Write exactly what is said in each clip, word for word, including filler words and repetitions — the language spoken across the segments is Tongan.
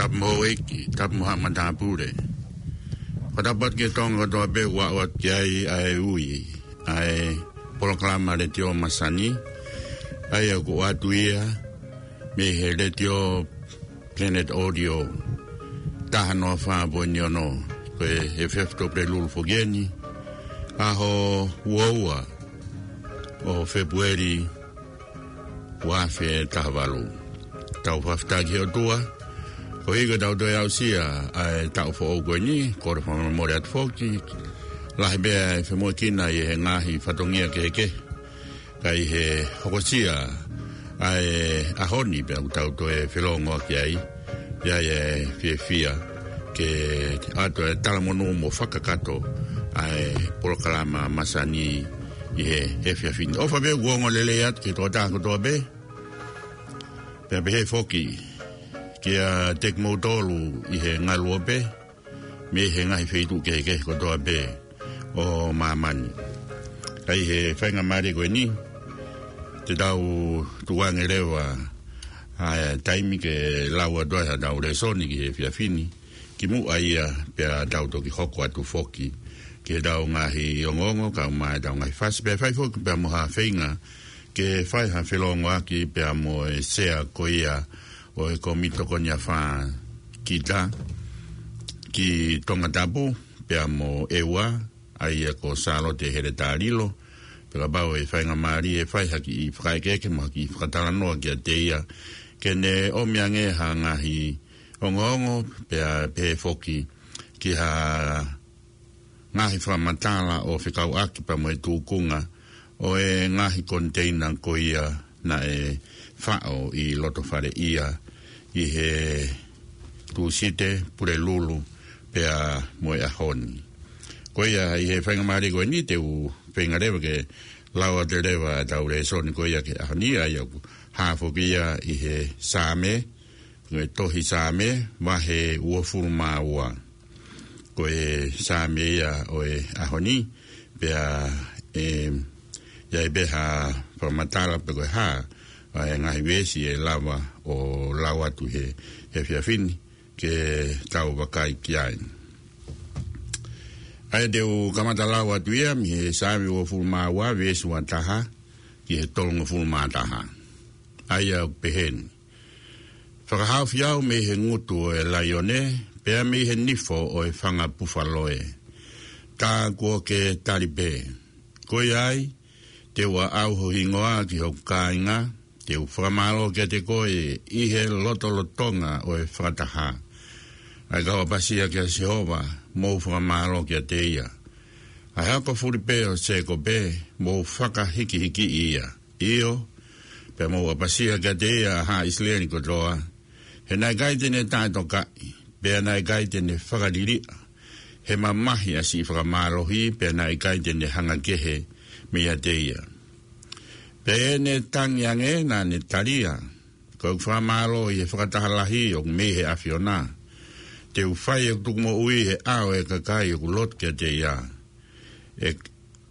Tapu mo houʻeiki, tapu mo haʻa matāpule. Fakatapu atu ki he Tonga kotoa pē ʻoku ʻoatu ki ai ʻa e ui, ʻa e polokalama Letiō Masani, ʻa ia ʻoku ʻoatu ia mei he Letiō Planet Audio, taha noa fā poini ono, ko e efiafi Tuʻapulelulu foki eni, ʻaho ua ua ʻo Fēpueli, ua afe taha valu. Tau fakafetaʻi ki he ʻOtua, koeʻuhi ko ʻetau toe aʻusia ʻa e taʻu foʻou ko eni, kole fakamolemole atu foki, lahi pē ʻa e femoʻuekina ʻi he ngaahi fatongia kehekehe, ka ʻi he hokosia ʻa e ʻaho ni pea ʻoku tau toe felōngoaki ai, ʻi ai e fiefia ke ʻoatu e talamonū mo fakakakato ʻa e polokalama Masani ʻi he efiafi ni. ʻOfa pē ʻoku ongo lelei atu ki he tokotaha kotoa pē, pea pehē foki kiate kimoutolu ʻi he ngaluope, mei he ngaahi feituʻu kehekehe kotoa pē ʻo māmani. Ka ʻi he faingamālie ko eni, te tau tukuange leva ʻa e taimi ke lau atu ai haʻatau lēsoni ki he efiafi ni, kimuʻa ia pea tau toki hoko atu foki ki heʻetau ngaahi ongoongo, kae ʻumaʻā ʻetau ngaahi fasi, pea fai foki pea mo ha feinga ke fai ha felōngoaki pea mo e sea ko ia ʻo e Kōmiti Tokoni Afā kita ki Tongatapu pea mo ʻEua, ʻa ia ko Sālote Heletā Lilo, pea kapau ʻe faingamālie ʻe fai ha kiʻi fakaʻekeʻeke mo ha kiʻi fakatalanoa kiate ia, ke ne ʻomi ange ha ngaahi ongoongo, pea pehē foki ki ha ngaahi fakamatala ʻo fekauʻaki pea mo e tūkunga ʻo e ngaahi koniteina ko ia naʻe faʻo ʻi loto fale ia ʻi he Tūsite, Pulelulu, pea mo e ʻaho ni. Ko ia ʻi he faingamālie ko eni te u feinga leva ke lau atu leva ʻetau lēsoni ko ia ki he ʻaho ni, ʻa ia ʻoku hā foki ia ʻi he Saame, ko e tohi Saame, vahe uofulu mā ua. Ko e Saame ia ʻo e ʻaho ni, pea ʻe, ʻi ai pē ha fakamatala pe ko e hā ʻa e ngaahi veesi ʻe lava ʻo lau atu he, he efiafi ni ke tau vakai ki ai. ʻA ia te u kamata lau atu ia mei he Saame uofulu mā ua, veesi ua taha ki he tolungofulu mā taha. ʻA ia ʻoku pehē ni: Fakahaofi au mei he ngutu ʻo e laione, pea mei he nifo ʻo e fanga pufalo ē. Tā kuo ke tali pē. Ko ia ai, te u aʻau ho hingoa ki hoku kāinga, te u fakamālō kiate koe ʻi he lotolotonga ʻo e fakataha. ʻA e kau ʻapasia kia Sihova, mou fakamālō kiate ia. ʻA e hako fulipē ʻo Sēkope, mou fakahikihikiʻi ia. ʻIo, pea mou ʻapasia kiate ia, ʻa haʻa ʻIsileli kotoa. He naʻe ʻikai te ne taʻetokaʻi, pea naʻe ʻikai te ne fakaliliʻa. He mamahi ʻa siʻi fakamālohi, pea naʻe ʻikai te ne hanga kehe meiate ia. Pea ʻi heʻene tangi ange naʻa ne talia: Ko ʻeku fakamālō ʻi he fakataha lahi ʻoku mei he ʻAfiona. Te u fai ʻeku tukumoʻui he ʻao ʻo e kakai ʻoku lotu kiate ia. ʻE,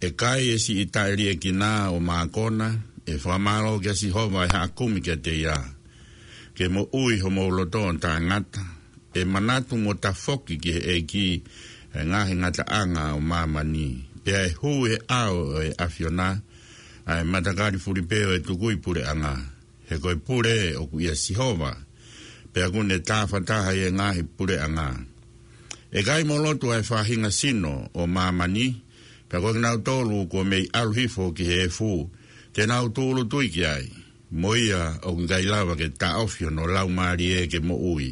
ʻe kai e siʻi taʻeliʻekina ʻo Mākona, ʻe fakamālō kia Sihova ʻa e haʻa kumi kiate ia. Ke moʻui homou loto ʻo taʻengata, ʻe manatu mo tafoki ki he ʻEiki ʻa e ngaahi ngataʻanga ʻo māmani. Pea ʻe hū he ʻao ʻo e ʻAfiona ʻa e matakali fulipē ʻo e tukui puleʻanga. He ko e pule ʻoku ʻia Sihova, pea ʻoku ne tāfataha ʻi he ngaahi puleʻanga. ʻE kai mo lotu ʻa e faʻahinga sino ʻo māmani, pea ko kinautolu kuo mei ʻalu hifo ki he efu, te nau tūʻulutui ki ai. Mo ia ʻoku ʻikai lava ke taʻofi hono laumālie ke moʻui.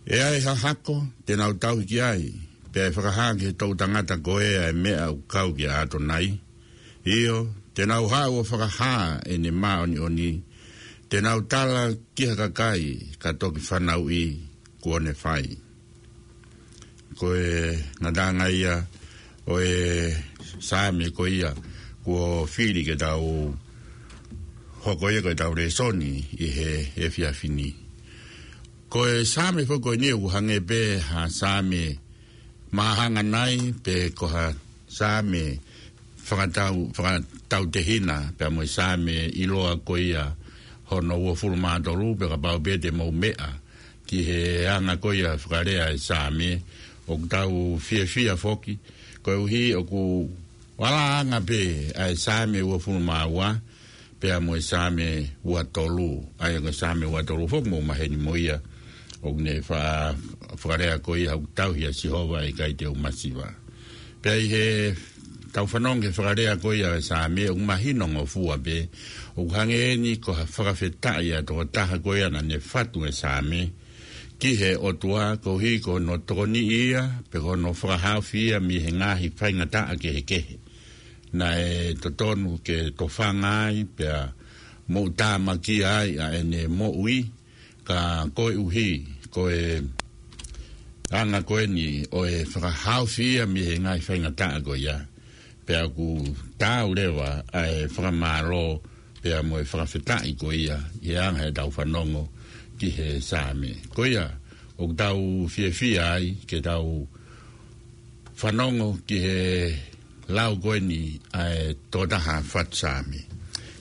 ʻE ʻi ai ha hako te nau tauhi ki ai, pea ʻe fakahā ki he toʻu tangata ko ē ʻa e meʻa ʻoku kau kia ʻAtonai. ʻIo, te nau haʻu ʻo fakahā ʻene māʻoniʻoni, te nau tala ki ha kakai ka toki fanauʻi kuo ne fai. Ko e ngataʻanga ia ʻo e Saame ko ia kuo fili ke tau hoko ia ko ʻetau lēsoni ʻi he efiafi ni. Ko e Saame foki ko eni ʻoku hangē pē ha Saame māhanganai pe ko ha Saame fakatau, fakatautehina pea mo e Saame ʻiloa ko ia hono uofulu mā tolu, pea kapau pē te mou meʻa, ki he anga ko ia fakalea ʻa e Saame, ʻoku tau fiefia foki, koeʻuhi ʻoku ʻalā ange pē ʻa e Saame uofulu mā ua, pea mo e Saame ua tolu, ʻa ia ko e Saame ua tolu foki mou maheni mo ia, ʻoku ne fa-, fakalea ko ia ʻoku tauhi ʻa Sihova ʻe ʻikai te u masiva. Pea ʻi heʻetau fanongo ki he fakalea ko ia ʻo e Saame, ʻoku mahino ngofua pē, ʻoku hangē eni ko ha fakafetaʻi ʻa e tokotaha ko ia naʻa ne fatu e Saame ki he ʻOtua, koeʻuhi ko hono tokoniʻi ia, pe ko hono fakahaofi ia mei he ngaahi faingataʻa kehekehe naʻe totonu ke tofanga ai, pea moʻutāmakia ai ʻa ʻene moʻui, ka koeʻuhi ko e anga ko eni ʻo e fakahaofi ia mei he ngaahi faingataʻa ko ia, pea ʻoku taau leva ʻa e fakamālō pea mo e fakafetaʻi ko ia ʻi he anga ʻetau fanongo ki he Saame. Ko ia, ʻoku tau fiefia ai ke tau fanongo ki he lau ko eni ʻa e tokotaha fatu Saame.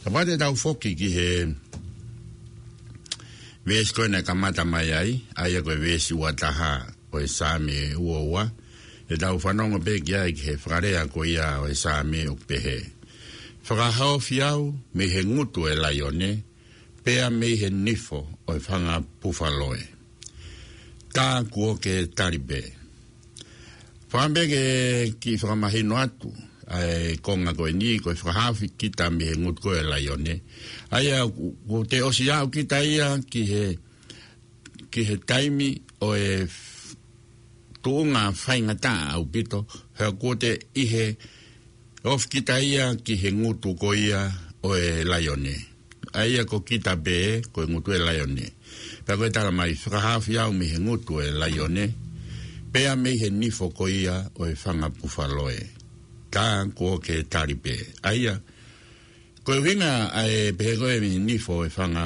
Kapau te tau foki ki he veesi ko ē naʻe kamata mai ai, ʻa ia ko e veesi ua taha ʻo e Saame ua ua, te tau fanongo pē ki ai ki he fakalea ko ia ʻo e Saame ʻoku pehē: Fakahaofi au mei he ngutu ʻo e laione, pea mei he nifo ʻo e fanga pufaloe. Tā kuo ke tali pē. Fakaʻamu pē ke kiʻi fakamahino atu ʻa e konga ko eni, ko e fakahaofi kita mei he ngutu ko ē ʻo e laione. ʻA ia, kuo, kuo te ʻosi aʻu kita ia ki he, ki he taimi ʻo e f-, tuʻunga faingataʻa ʻaupito, he kuo te ʻi he ofi kita ia ki he ngutu ko ia ʻo e laione. ʻA ia ko kita pē, ko e ngutu ʻo e laione. Pea ko e tala mai, fakahaofi au mei he ngutu ʻo e laione, pea mei he nifo ko ia ʻo e fanga pufaloe. Tā kuo ke tali pē. ʻA ia, ko e ʻuhinga ʻa e pehē ko ē mei he nifo ʻo e fanga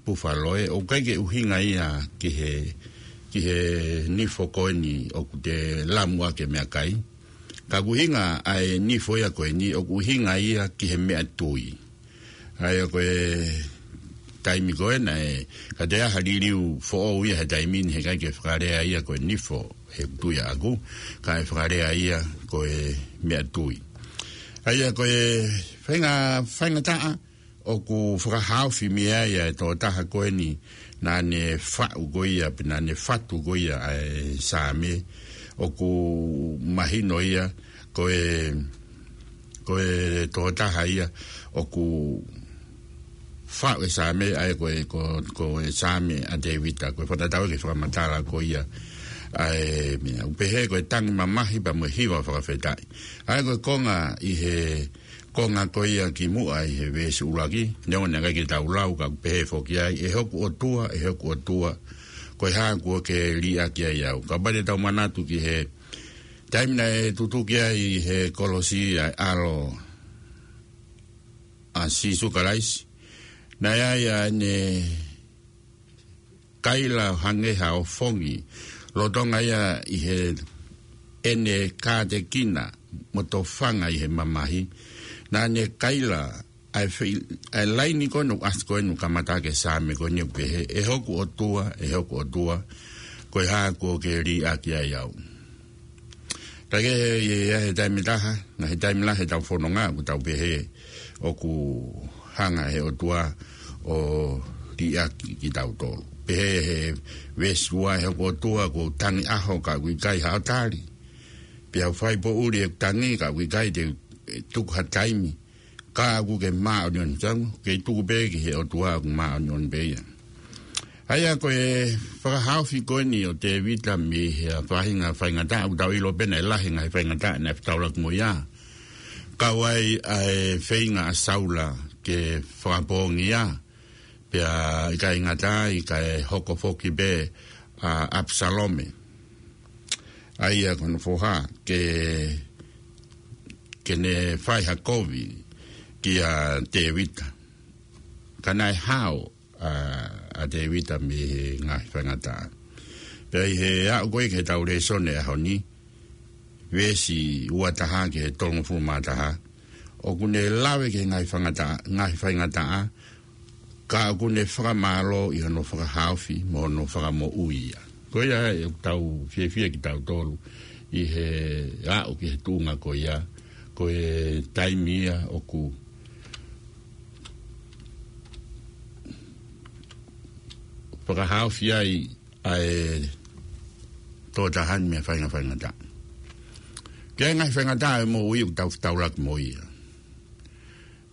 pufaloe, ʻoku ʻikai ke ʻuhinga ia ki he, ki he nifo ko eni ʻoku te lamu ʻaki e meʻakai. Ka ʻoku ʻuhinga ʻa e nifo ia ko eni, ʻoku ʻuhinga ia ki he meʻatui. ʻA ia ko e taimi ko ē naʻe, ka te aha liliu foʻou ia he taimi ni, he ʻikai ke fakalea ia ko e nifo, he ʻoku tui ʻaʻaku, kae fakalea ia ko e meʻatui. ʻA ia ko e fainga-, faingataʻa ʻoku fakahaofi mei ai ʻa e tokotaha ko eni naʻa ne faʻu ko ia, pe naʻa ne fatu ko ia ʻa e Saame, ʻoku mahino ia ko e, ko e tokotaha ia ʻoku faʻu e Saame, ʻa ia ko e, ko, ko e Saame ʻa Tēvita, ko e fakatatau ki he fakamatala ko ia ʻa e meʻa. ʻOku pehē ko e tangi mamahi pea mo e hiva fakafetaʻi. ʻA ia ko e konga ʻi he konga ko ia kimuʻa ʻi he veesi ʻuluaki, neongo naʻe ʻikai ke tau lau, ka ʻoku pehē foki ai, ʻE hoku ʻOtua, ʻe hoku ʻOtua, ko e hā kuo ke liʻaki ai au. Kapau te tau manatu ki he taimi naʻe tutuki ai ʻi he kolosi ʻa e ʻAlo ʻa Sīsū Kalaisi, naʻe ʻi ai ʻa ʻene kaila hangē ha ʻofongi, lolotonga ia ʻi heʻene kātekina mo tofanga ʻi he mamahi, naʻa ne kaila ʻa e fei-, ʻa e laini ko ē naʻe ʻasi ko ē naʻe kamata ʻaki e Saame ko eni ʻoku pehē, ʻE hoku ʻOtua, ʻe hoku ʻOtua, ko e hā kuo ke liʻaki ai au. Ka ke he, he, he taimi taha, ngaahi taimi lahi heʻetau fononga, ʻoku tau pehē, ʻoku hanga he ʻOtua ʻo liʻaki kitautolu. Pehē he veesi ua, ʻE hoku ʻOtua, kuo u tangi ʻaho ka ʻoku ʻikai haʻo tali. Pea u fai poʻuli ʻeku tangi ka ʻoku ʻikai te u tuku ha taimi. Ka ʻoku ke māʻoniʻoni, tangu, ke tuku pē ki he ʻOtua ʻoku māʻoniʻoni pē ia. ʻA ia ko e fakahaofi ko eni ʻo Tēvita mei he faʻahinga faingataʻa, ʻoku tau ʻilo pē naʻe lahi e ngaahi faingataʻa naʻe fetaulaki mo ia. Kau ai ʻa e feinga ʻa Saula ke fakapoongi ia, pea ʻikai ngata ai kae hoko foki pē ʻa ʻApisalome, ʻa ia ko hono foha, ke, ke ne fai ha kovi kia Tēvita. Ka naʻe hao ʻa, ʻa Tēvita mei he ngaahi faingataʻa. Pea ʻi he aʻu ko ē ki heʻetau lēsoni ʻo e ʻaho ni, veesi ua taha ki he tolungofulu mā taha, ʻoku ne lave ki he ngaahi faingataʻa, ngaahi faingataʻa, ka ʻoku ne fakamālō ʻi hono fakahaofi mo hono fakamoʻui ia. Ko ia ʻoku tau fiefia kitautolu ʻi he aʻu ki he tuʻunga ko ia, ko e taimi ia ʻoku fakahaofi ai ʻa e tokotaha ni mei he faʻahinga faingataʻa ki he ngaahi faingataʻa ʻo e moʻui ʻoku tau fetaulaki mo ia.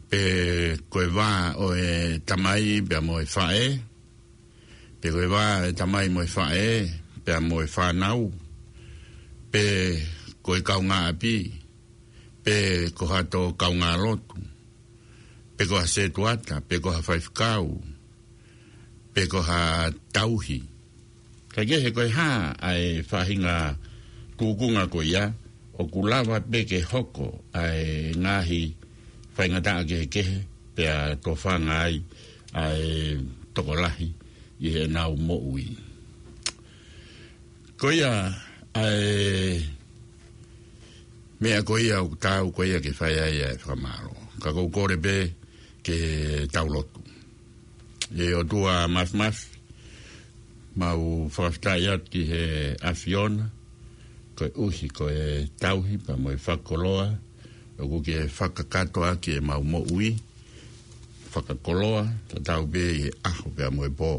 Pe ko e vā ʻo e tamai pea mo e faʻē, pe ko e vā ʻo e tamai mo e faʻē pea mo e fānau, pe ko e kaungāʻapi, pe ko ha tō kaungālotu, pe ko ha setuata, pe ko ha faifekau, pe ko ha tauhi. Kae kehe ko e hā ʻa e faʻahinga tūkunga ko ia, ʻoku lava pē ke hoko ʻa e ngaahi faingataʻa kehekehe pea tofanga ai ʻa e tokolahi ʻi heʻenau moʻui. Ko ia ʻa e meʻa ko ia ʻoku taau ko ia ke fai ai ʻa e fakamālō. Ka ʻoku ou kole pē ke tau lotu. ʻE ʻOtua Mafimafi, mau fakafetaʻi atu ki he ʻAfiona, koeʻuhi ko e tauhi pea mo e fakakoloa ʻoku ke fakakakato ʻaki ʻemau moʻui, fakakoloa tatau pē ʻi he ʻaho pea mo e pō.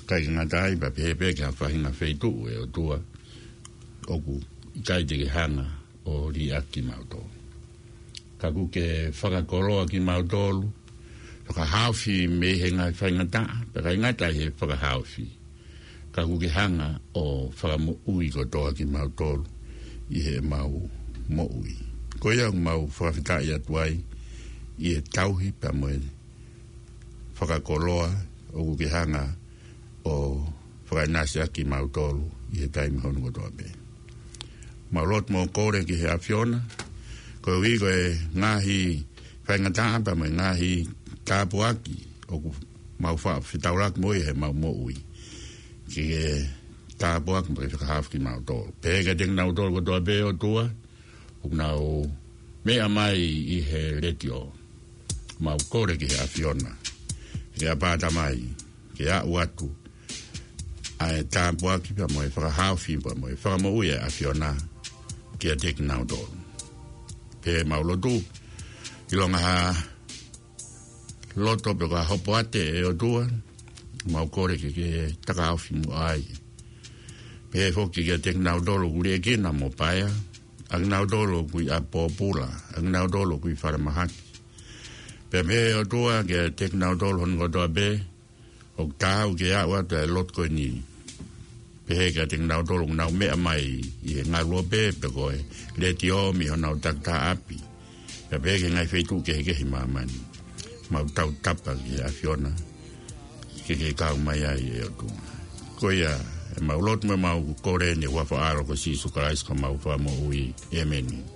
ʻIkai ke ngata ai, pea pehē pē ki ha faʻahinga feituʻu, ʻe ʻOtua, ʻoku ʻikai te ke hanga ʻo liʻaki kimautolu. Ka ʻoku ke fakakoloa kimautolu, fakahaofi mei he ngaahi faingataʻa, pea ʻikai ngata ai he fakahaofi, ka ʻoku ke hanga ʻo fakamoʻui kotoa kimautolu ʻi heʻemau moʻui. Ko ia ʻoku mau fakafetaʻi atu ai ʻi he tauhi pea mo e fakakoloa ʻoku ke hanga ʻo fakaʻinasi ʻaki kimautolu ʻi he taimi hono kotoa pē. Mau lotu mo kole ki he ʻAfiona, koeʻuhi ko e ngaahi faingataʻa pea mo e ngaahi tāpuaki ʻoku mau faʻa fetaulaki mo ia heʻemau moʻui, ke ke tāpuaki mo ke fakahaofi kimautolu. Pehē kiate kinautolu kotoa pē ʻOtua ʻoku nau meʻa mai ʻi he letiō, mau kole ki he ʻAfiona, ke ʻapā Tamai, ke aʻu atu ʻa e tāpuaki pea mo e fakahaofi pea mo e fakamoʻui ʻa e ʻAfiona kiate kinautolu. Pea mau lotu, ʻilonga ha loto pe ko ha hopoate ʻe ʻOtua, mau kole ke ke takaofi muʻa ai. Pehē foki kiate kinautolu ʻoku liʻekina mo paea, ʻa kinautolu ʻoku ʻi ʻapi pōpula, ʻa kinautolu ʻoku ʻi falemahaki. Pea pehē ʻOtua kiate kinautolu hono kotoa pē ʻoku taau ke aʻu atu ʻa e lotu ko eni. Pehē kiate kinautolu ʻoku nau meʻa mai ʻi he ngaluope pe ko e letiō mei honau takitaha ʻapi, pea pehē ki he ngaahi feituʻu kehekehe ʻi māmani. Mau tautapa ki he ʻAfiona ke ke kau mai ai ʻe ʻOtua. Ko ia ʻemau lotu mo ʻemau kole ʻi he huafa ʻo ho ʻAlo ko Sīsū Kalaisi ko homau Fakamoʻui. ʻĒmeni.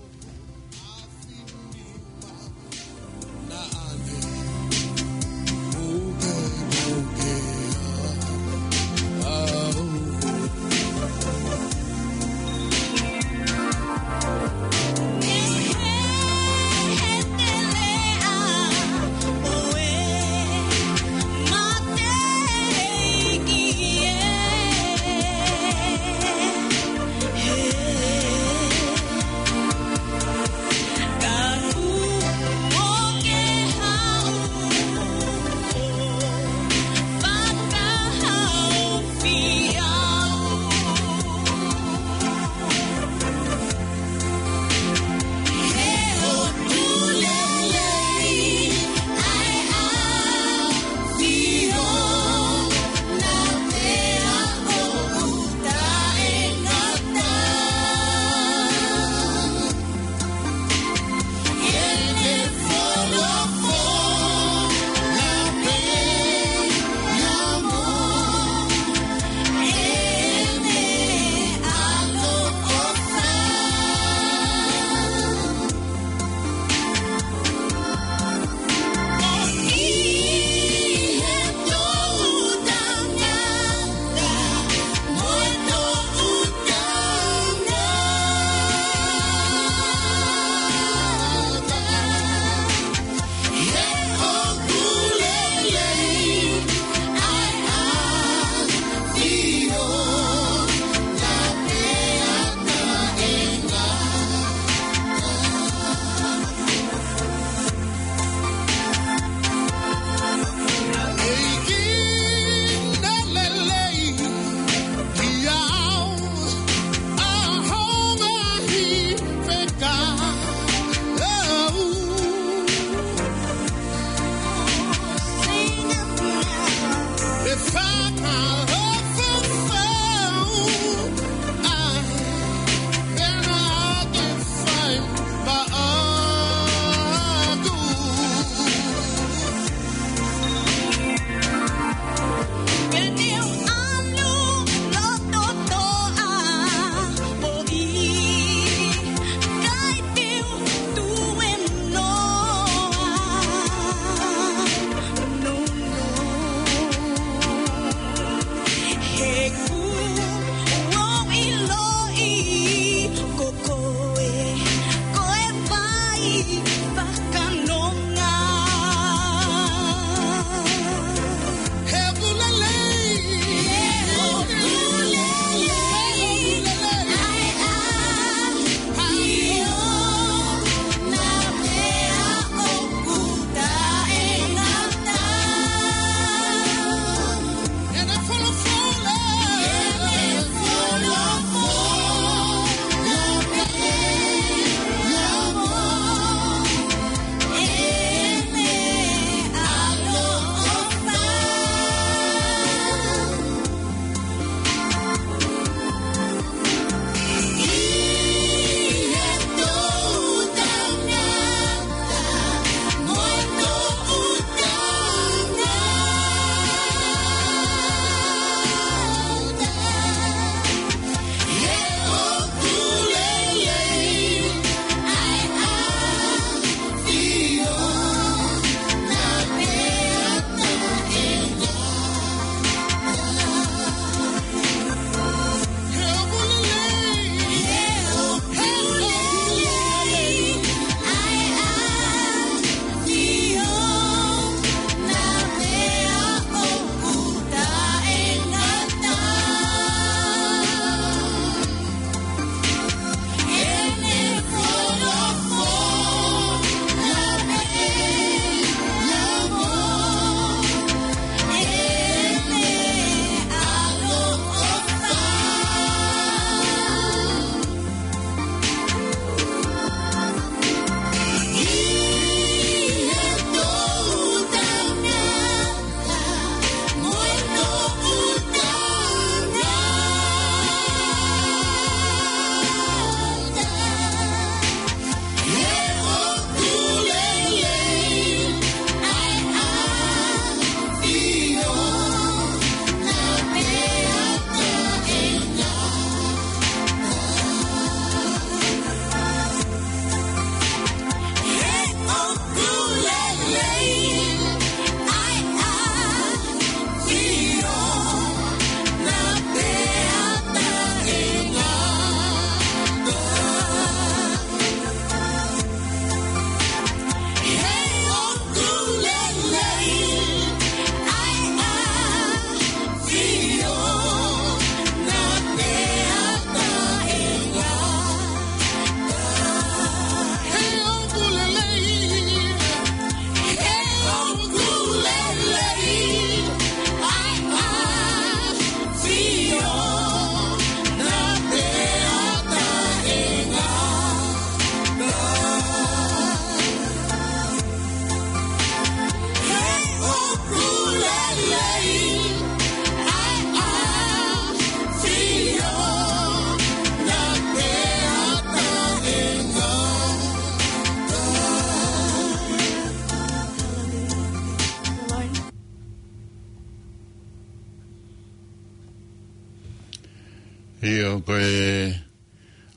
ʻIo, ko e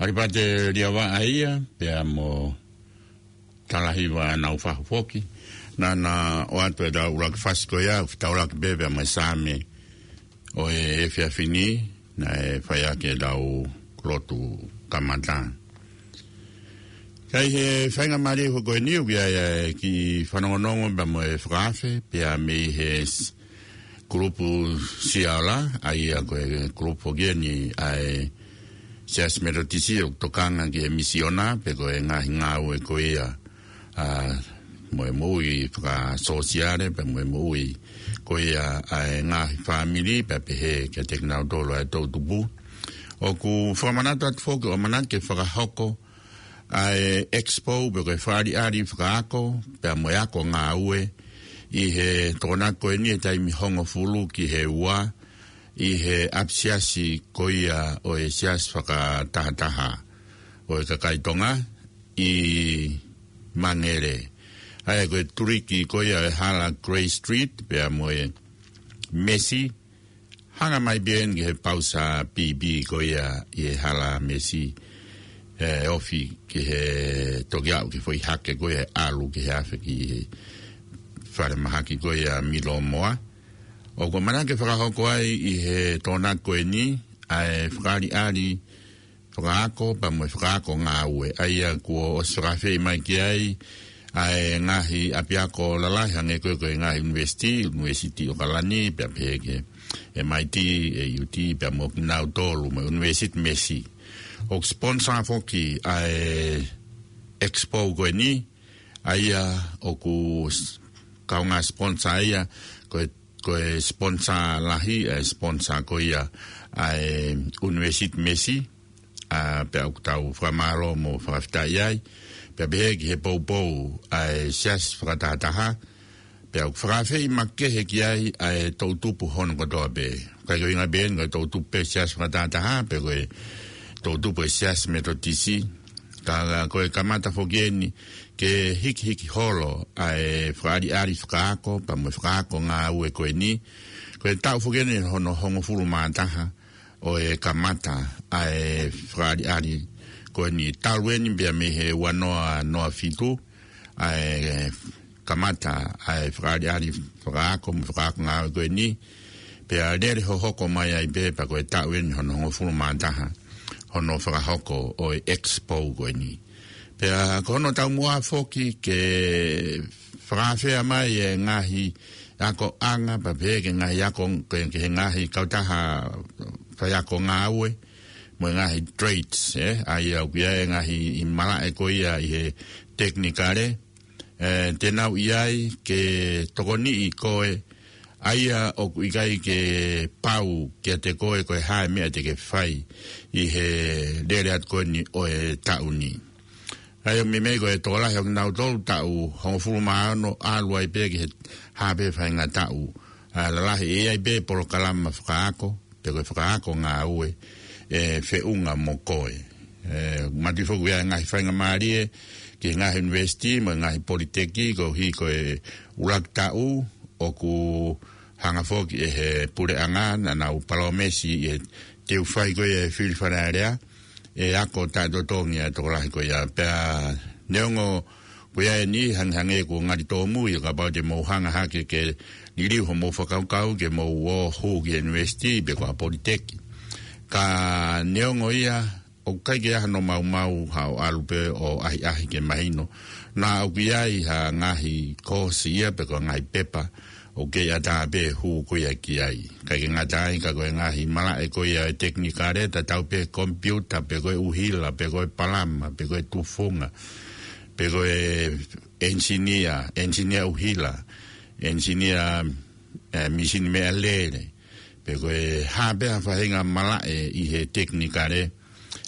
ʻAlipate Liavaʻa ia, pea mo Talahiva Naufahu foki. Naʻa na ʻoatu ʻetau ʻuluaki fasi ko ia, fetaulaki pē pea mo e Saame ʻo e efiafi ni, naʻe fai ʻaki ʻetau lotu kamata. Ka ʻi he faingamālie foki ko eni ʻoku ʻi ai ʻa e kiʻi fanongonongo pea mo e fakaafe, pea mei he s-, kulupu Siaola, ʻa ia ko e kulupu foki eni ʻa e Siasi Metotisi ʻoku tokanga ki he misiona, pe ko e ngaahi ngāue ko ia, ʻa, mo e moʻui fakasōsiale, pea mo e moʻui ko ia ʻa e ngaahi fāmili, pea pehē kiate kinautolu ʻa e toʻutupu. ʻOku fakamanatu atu foki ʻoku ʻamanaki ke fakahoko ʻa e expo pe ko e fakaʻaliʻali fakaako, pea mo e ako ngāue, ʻi he Tokonaki ko eni he taimi hongofulu ki he ua, ʻi he ʻapisiasi ko ia ʻo e Siasi Fakatahataha ʻo e Kakai Tonga ʻi Mangere. ʻA ia ko e tuliki ko ia ʻo e hala Grey Street, pea mo e Mesi, hanga mai pē eni ki he pausa pipi ko ia ʻi he hala Mesi, ʻe ofi ki he toki aʻu ki he foʻi hake ko ia ʻalu ki he afe ki he falemahaki ko ia Milomoa. ʻOku ʻamanaki ke fakahoko ai ʻi he Tokonaki ko eni ʻa e fakaʻaliʻali fakaako, pea mo e fakaako ngāue. ʻA ia kuo ʻosi fakaafeʻi mai ki ai ʻa e ngaahi ʻapiako lalahi hangē ko e, ko e ngaahi ʻunivēsiti, ʻUnivēsiti ʻAokalani, pea pehē ki he M I T, AUT, pea mo kinautolu, mo e ʻUnivēsiti Mesi. ʻOku sponsor foki ʻa e expo ko eni, ʻa ia ʻoku s-, kaungā sponsor ia, ko e, ko e sponsor lahi, ʻa e sponsor ko ia ʻa e ʻUnivēsiti Mesi, ʻa, pea ʻoku tau fakamālō mo fakafetaʻi ai, pea pehē ki he poupou ʻa e Siasi Fakatahataha, pea ʻoku fakaafeʻi makehe ki ai ʻa e toʻutupu hono kotoa pē. ʻIkai ko e ʻuhinga pē eni ko e toʻutupu pē Siasi Fakatahataha, pe ko e toʻutupu e Siasi Metotisi, ka, ka ko e kamata foki eni ke hikihiki holo ʻa e fakaʻaliʻali fakaako, pea mo e fakaako ngāue ko eni. Ko e taʻu foki eni hono hongofulu mā taha ʻo e kamata ʻa e fakaʻaliʻali ko eni, talu eni pea mei he ua noa noa fitu ʻa e kamata ʻa e fakaʻaliʻali fakaako mo e fakaako ngāue ko eni. Pea lele hohoko mai ai pē pea ko e taʻu eni hono hongofulu mā taha hono fakahoko ʻo e expo ko eni. Pea ko hono taumuʻa foki ke fakaafeʻi mai e ngaahi akoʻanga, pea pehē ki he ngaahi ako, ki he, ki he ngaahi kautaha faiako ngāue, mo e ngaahi trades, ē, ʻa ia ʻoku ʻi ai e ngaahi ʻi malaʻe ko ia ʻi he tekinikale, ē, te nau ʻi ai ke tokoniʻi koe, ʻa ia ʻoku ʻikai ke pau kiate koe ko e hā e meʻa te ke fai ʻi he lele atu ko eni ʻo e taʻu ni. ʻA ia ʻoku meimei ko e tokolahi ʻo kinautolu taʻu hongofulu mā ono ʻalu ai pē ki he hā pē faʻahinga taʻu, ʻa, lalahi, ʻe ʻi ai pē polokalama fakaako, pe ko e fakaako ngāue, ʻe feʻunga mo koe. Ē, mātuʻaki foki ʻa e ngaahi faingamālie ki he ngaahi ʻunivēsiti mo e ngaahi politeki, koeʻuhi ko e ʻuluaki taʻu ʻoku hanga foki ʻe he puleʻanga, naʻa nau palōmesi ʻe teu fai ko ia e fili Fale Alea, ʻe ako taʻetotongi ʻa e tokolahi ko ia. Pea neongo ko ia eni hangehangē kuo ngali tōmui, ʻo kapau te mou hanga hake ke liliu hoʻomou fakakaukau ke mou ō hū ki he ʻunivēsiti pe ko ha politeki. Ka neongo ia, ʻoku ʻikai ke ʻi ai hano maumau, haʻo ʻalu pē ʻo ʻahiʻahi ke mahino. Naʻa ʻoku ʻi ai ha ngaahi koosi ia pe ko e ngaahi pepa ʻoku kei ʻatā pē hū ko ia ki ai. ʻIkai ke ngata ai ka ko e ngaahi malaʻe ko ia e tekinikale, tatau pē komipiuta, pe ko e ʻuhila, pe ko e palama, pe ko e tufunga, pe ko e enisinia, enisinia ʻuhila, enisinia, ē, mīsini meʻalele, pe ko e hā pē ha faʻahinga malaʻe ʻi he tekinikale,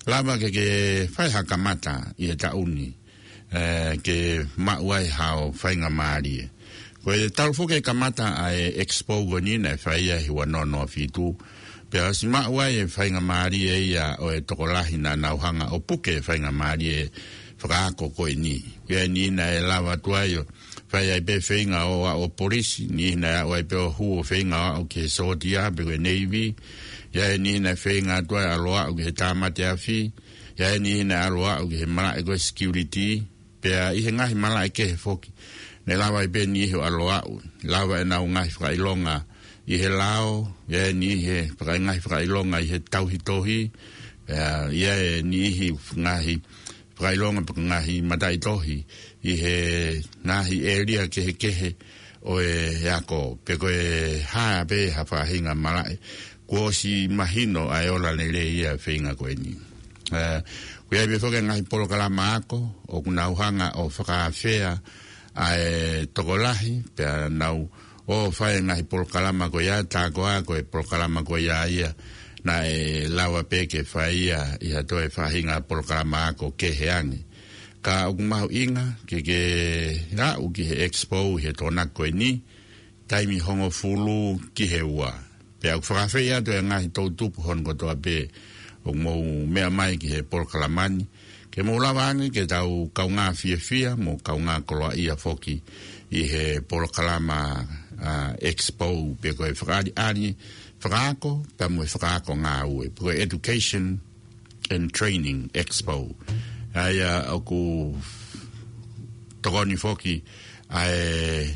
lava ke ke fai ha kamata ʻi he taʻu ni, ē, ke maʻu ai haʻo faingamālie. Ko e talu foki e kamata ʻa e expo ko eni naʻe fai ia he ua noa noa fitu, pea ʻosi maʻu ai e faingamālie ia ʻo e tokolahi naʻa nau hanga ʻo puke e faingamālie fakaako ko eni. Ko ia eni naʻe lava atu ai ʻo fai ai pē feinga ʻo aʻu ʻo polisi, niʻihi naʻe aʻu ai pē ʻo hū ʻo feinga ʻo aʻu ki he sōtia pe ko e Navy, ʻi ai e niʻihi naʻe feinga atu ai ʻo ʻalu ʻo aʻu ki he tāmate afi, ʻi ai e niʻihi naʻe ʻalu ʻo aʻu ki he malaʻe ko e security, pea ʻi he ngaahi malaʻe kehe foki. Naʻe lava ai pē niʻihi ʻo ʻalu ʻo aʻu, lava ʻenau ngaahi fakaʻilonga ʻi he lao, ʻi ai e niʻihi he faka-, ngaahi fakaʻilonga ʻi he tauhi tohi, pea ʻi ai e niʻihi ngaahi fakaʻilonga pe ko e ngaahi mataʻitohi ʻi he ngaahi ʻēlia kehekehe ʻo e ako, pe ko e hā pē ha faʻahinga malaʻe. Kuo ʻosi mahino ʻa e ola lelei ia feinga ko eni. Ē, ʻoku ʻi ai pē foki e ngaahi polokalama ako, ʻoku nau hanga ʻo fakaafeʻi ʻa e tokolahi, pea nau ō ʻo fai e ngaahi polokalama ko ia, tā koā ko e polokalama ko ia ia, naʻe lava pē ke fai ia ʻi ha toe faʻahinga polokalama ako kehe ange. Ka ʻoku mahuʻinga ke ke aʻu ki he expo ʻi he Tokonaki ko eni, taimi hongofulu ki he ua. Pea ʻoku fakaafeʻi atu e ngaahi toʻutupu hono kotoa pē ʻoku mou meʻa mai ki he polokalama ni, ke mou lava ange ke tau kaungā fiefia mo kaungā koloaʻia foki ʻi he polokalama, ā, expo pe ko e fakaʻaliʻali fakaako, pea mo e fakaako ngāue, pe ko e education and training expo. ʻA ia ʻoku tokoni foki ʻa e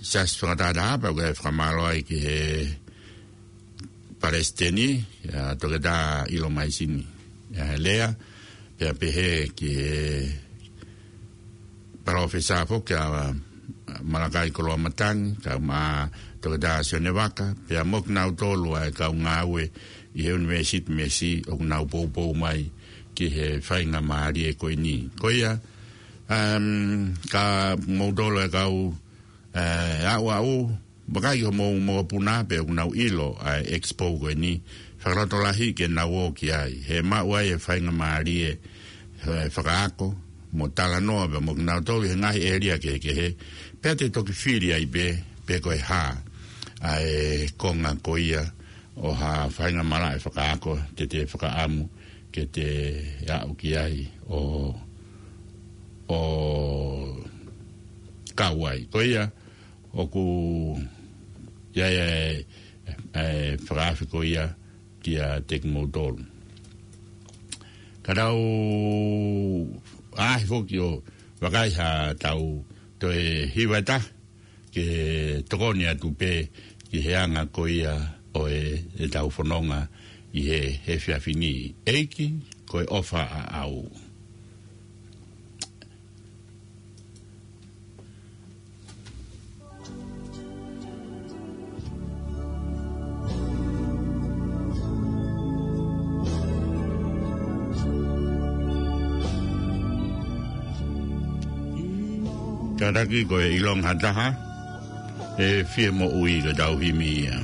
Siasi Fakatātā, pea ʻoku ou fakamālō ai ki he Palesiteni, ʻa Toketā ʻIlo Maisini, ʻa Lea, pea pehē ki he Palōfesa foki ʻa Malakai Koloamatangi, kae ʻumaʻā Toketā Sione Vaka, pea mo kinautolu ʻa e kau ngāue ʻi he ʻUnivēsiti Messi ʻoku nau poupou mai ki he faingamālie ko eni. Ko ia, um, ka moutolu e kau, ē, aʻuaʻu, vakai ki homou mokopuna pe ʻoku nau ʻilo ʻa e expo ko eni, fakalotolahi ke nau ō ki ai. He maʻu ai e faingamālie, ē, fakaako mo talanoa pea mo kinautolu he ngaahi ʻēlia kehekehe, pea te toki fili ai pē pe ko e hā ʻa e konga ko ia ʻo ha faingamālie fakaako te te fakaʻamu ke te aʻu ki ai ʻo, ʻo kau ai. Ko ia, ʻoku ʻi ai e, e, e fakaafe ko ia kiate kimoutolu. Ka tau ʻaʻahi foki ʻo vakai ha tau toe hiva ʻe taha ke tokoni atu pē ki he anga ko ia ʻo e, ʻetau fononga ʻi he, he efiafi ni. ʻEiki, ko e ʻofa ʻaʻau. Kātaki ko e ʻilonga ha taha ʻe fie moʻui, ka tau himi ia.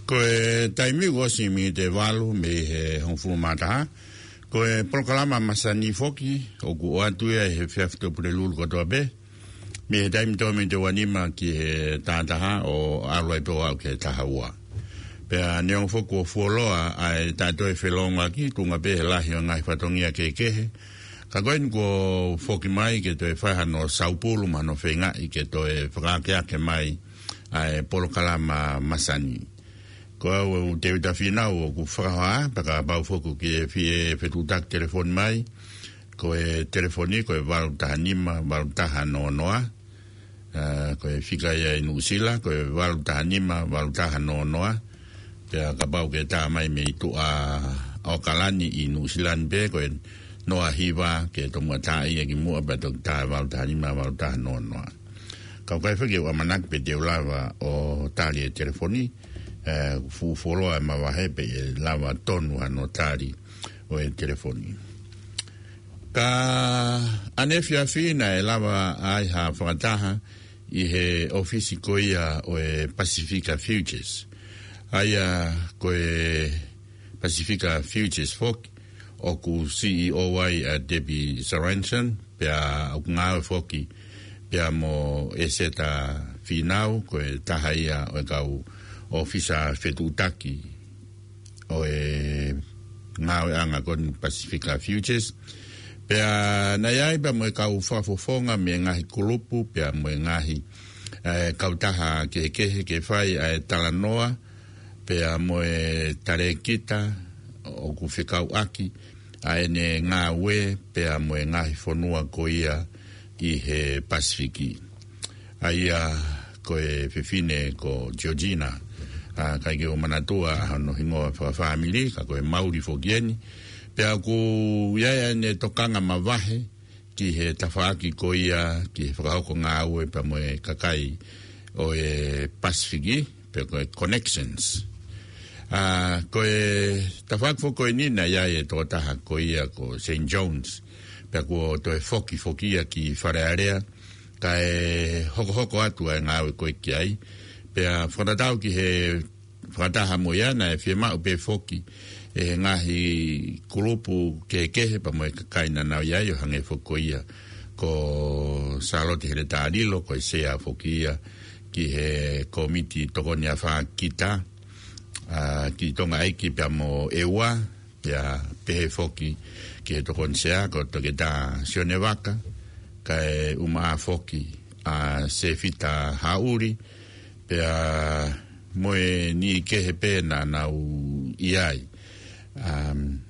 Ko e taimi kuo ʻosi miniti ʻe valu mei he hongofulu mā taha. Ko e polokalama masani foki, ʻoku ʻoatu ia he efiafi ʻo Pulelulu kotoa pē. Mei he taimi tolu miniti ʻe ua nima ki he taha taha ʻo ʻalu ai pē ʻo aʻu ki he taha ua. Pea neongo foki kuo fuoloa ʻa e taʻetoe felōngoaki, tuʻunga pē he lahi ʻo e ngaahi fatongia kehekehe. Ka ko eni kuo foki mai ke toe fai hano saupulu mo hano feingaʻi ke toe fakaakeake mai ʻa e polokalama masani. Ko au ʻa Tēvita Fīnau ʻoku fakahoa, pea kapau foki ʻoku ke fie fetuʻutaki telefoni mai, ko e telefoni, ko e valu taha nima, valu taha noa noa. ʻA, ko e fika ia ʻi Nuʻusila, ko e valu taha nima, valu taha noa noa. Pea kapau ʻoku ke tā mai mei tuʻa ʻAokalani ʻi Nuʻusila ni pē, ko e noa hiva ke tomuʻa tā ia ki muʻa pea toki tā valu taha nima, valu taha noa noa. Ka ʻoku ʻikai foki ke u ʻamanaki pe te u lava ʻo tali e telefoni, ʻe, fuʻu fuoloa e mavahe pe ʻe lava tonu hano tali ʻo e telefoni. Ka ʻanefiafi naʻe lava ai ha fakataha ʻi he ʻōfisi ko ia ʻo e Pasifika Futures. ʻA ia ko e Pasifika Futures foki, ʻoku C E O ai ʻa Debbie Sorensen, pea ʻoku ngāue foki pea mo ʻEseta Fīnau, ko e taha ia ʻo e kau ʻōfisa fetuʻutaki ʻo e ngāueʻanga ko eni Pasifika Futures. Pea naʻe ʻi ai pea mo e kau fakafofonga mei he ngaahi kulupu, pea mo e ngaahi, ʻe, kautaha kehekehe ke fai ʻa e talanoa, pea mo e talēkita ʻoku fekauʻaki ʻa ʻene ngāue, pea mo e ngaahi fonua ko ia ʻi he Pasifiki. ʻA ia ko e fefine ko Georgina, ʻa, ʻikai ke u manatua hono hingoa fakafāmili, ka ko e Mauli foki eni. Pea ʻoku ʻi ai ʻene tokanga mavahe ki he tafaʻaki ko ia, ki he fakahoko ngāue pea mo e kakai ʻo e Pasifiki, pe ko e connections. ʻA, ko e tafaʻaki foki ko eni naʻe ʻi ai e tokotaha ko ia ko Saint John's, pea kuo toe foki foki ia ki Fale Alea, kae hokohoko atu ʻa e ngāue ko ē ki ai. Pea fakatatau ki he fakataha mo ia naʻe fiemaʻu pē foki ʻe he ngaahi kulupu kehekehe pea mo e kakai naʻa nau ʻi ai, ʻo hangē foki ko ia ko Sālote Heletā Lilo, ko e sea foki ia ki he kōmiti tokoni afā kita, ʻa, ki Tonga ʻEiki pea mo ʻEua, pea pehē foki ki he tokoni sea ko Toketā Sione Vaka, kae ʻumaʻā foki ʻa Sefita Haʻuli, pea mo e niʻihi kehe pē naʻa nau ʻi ai. Um,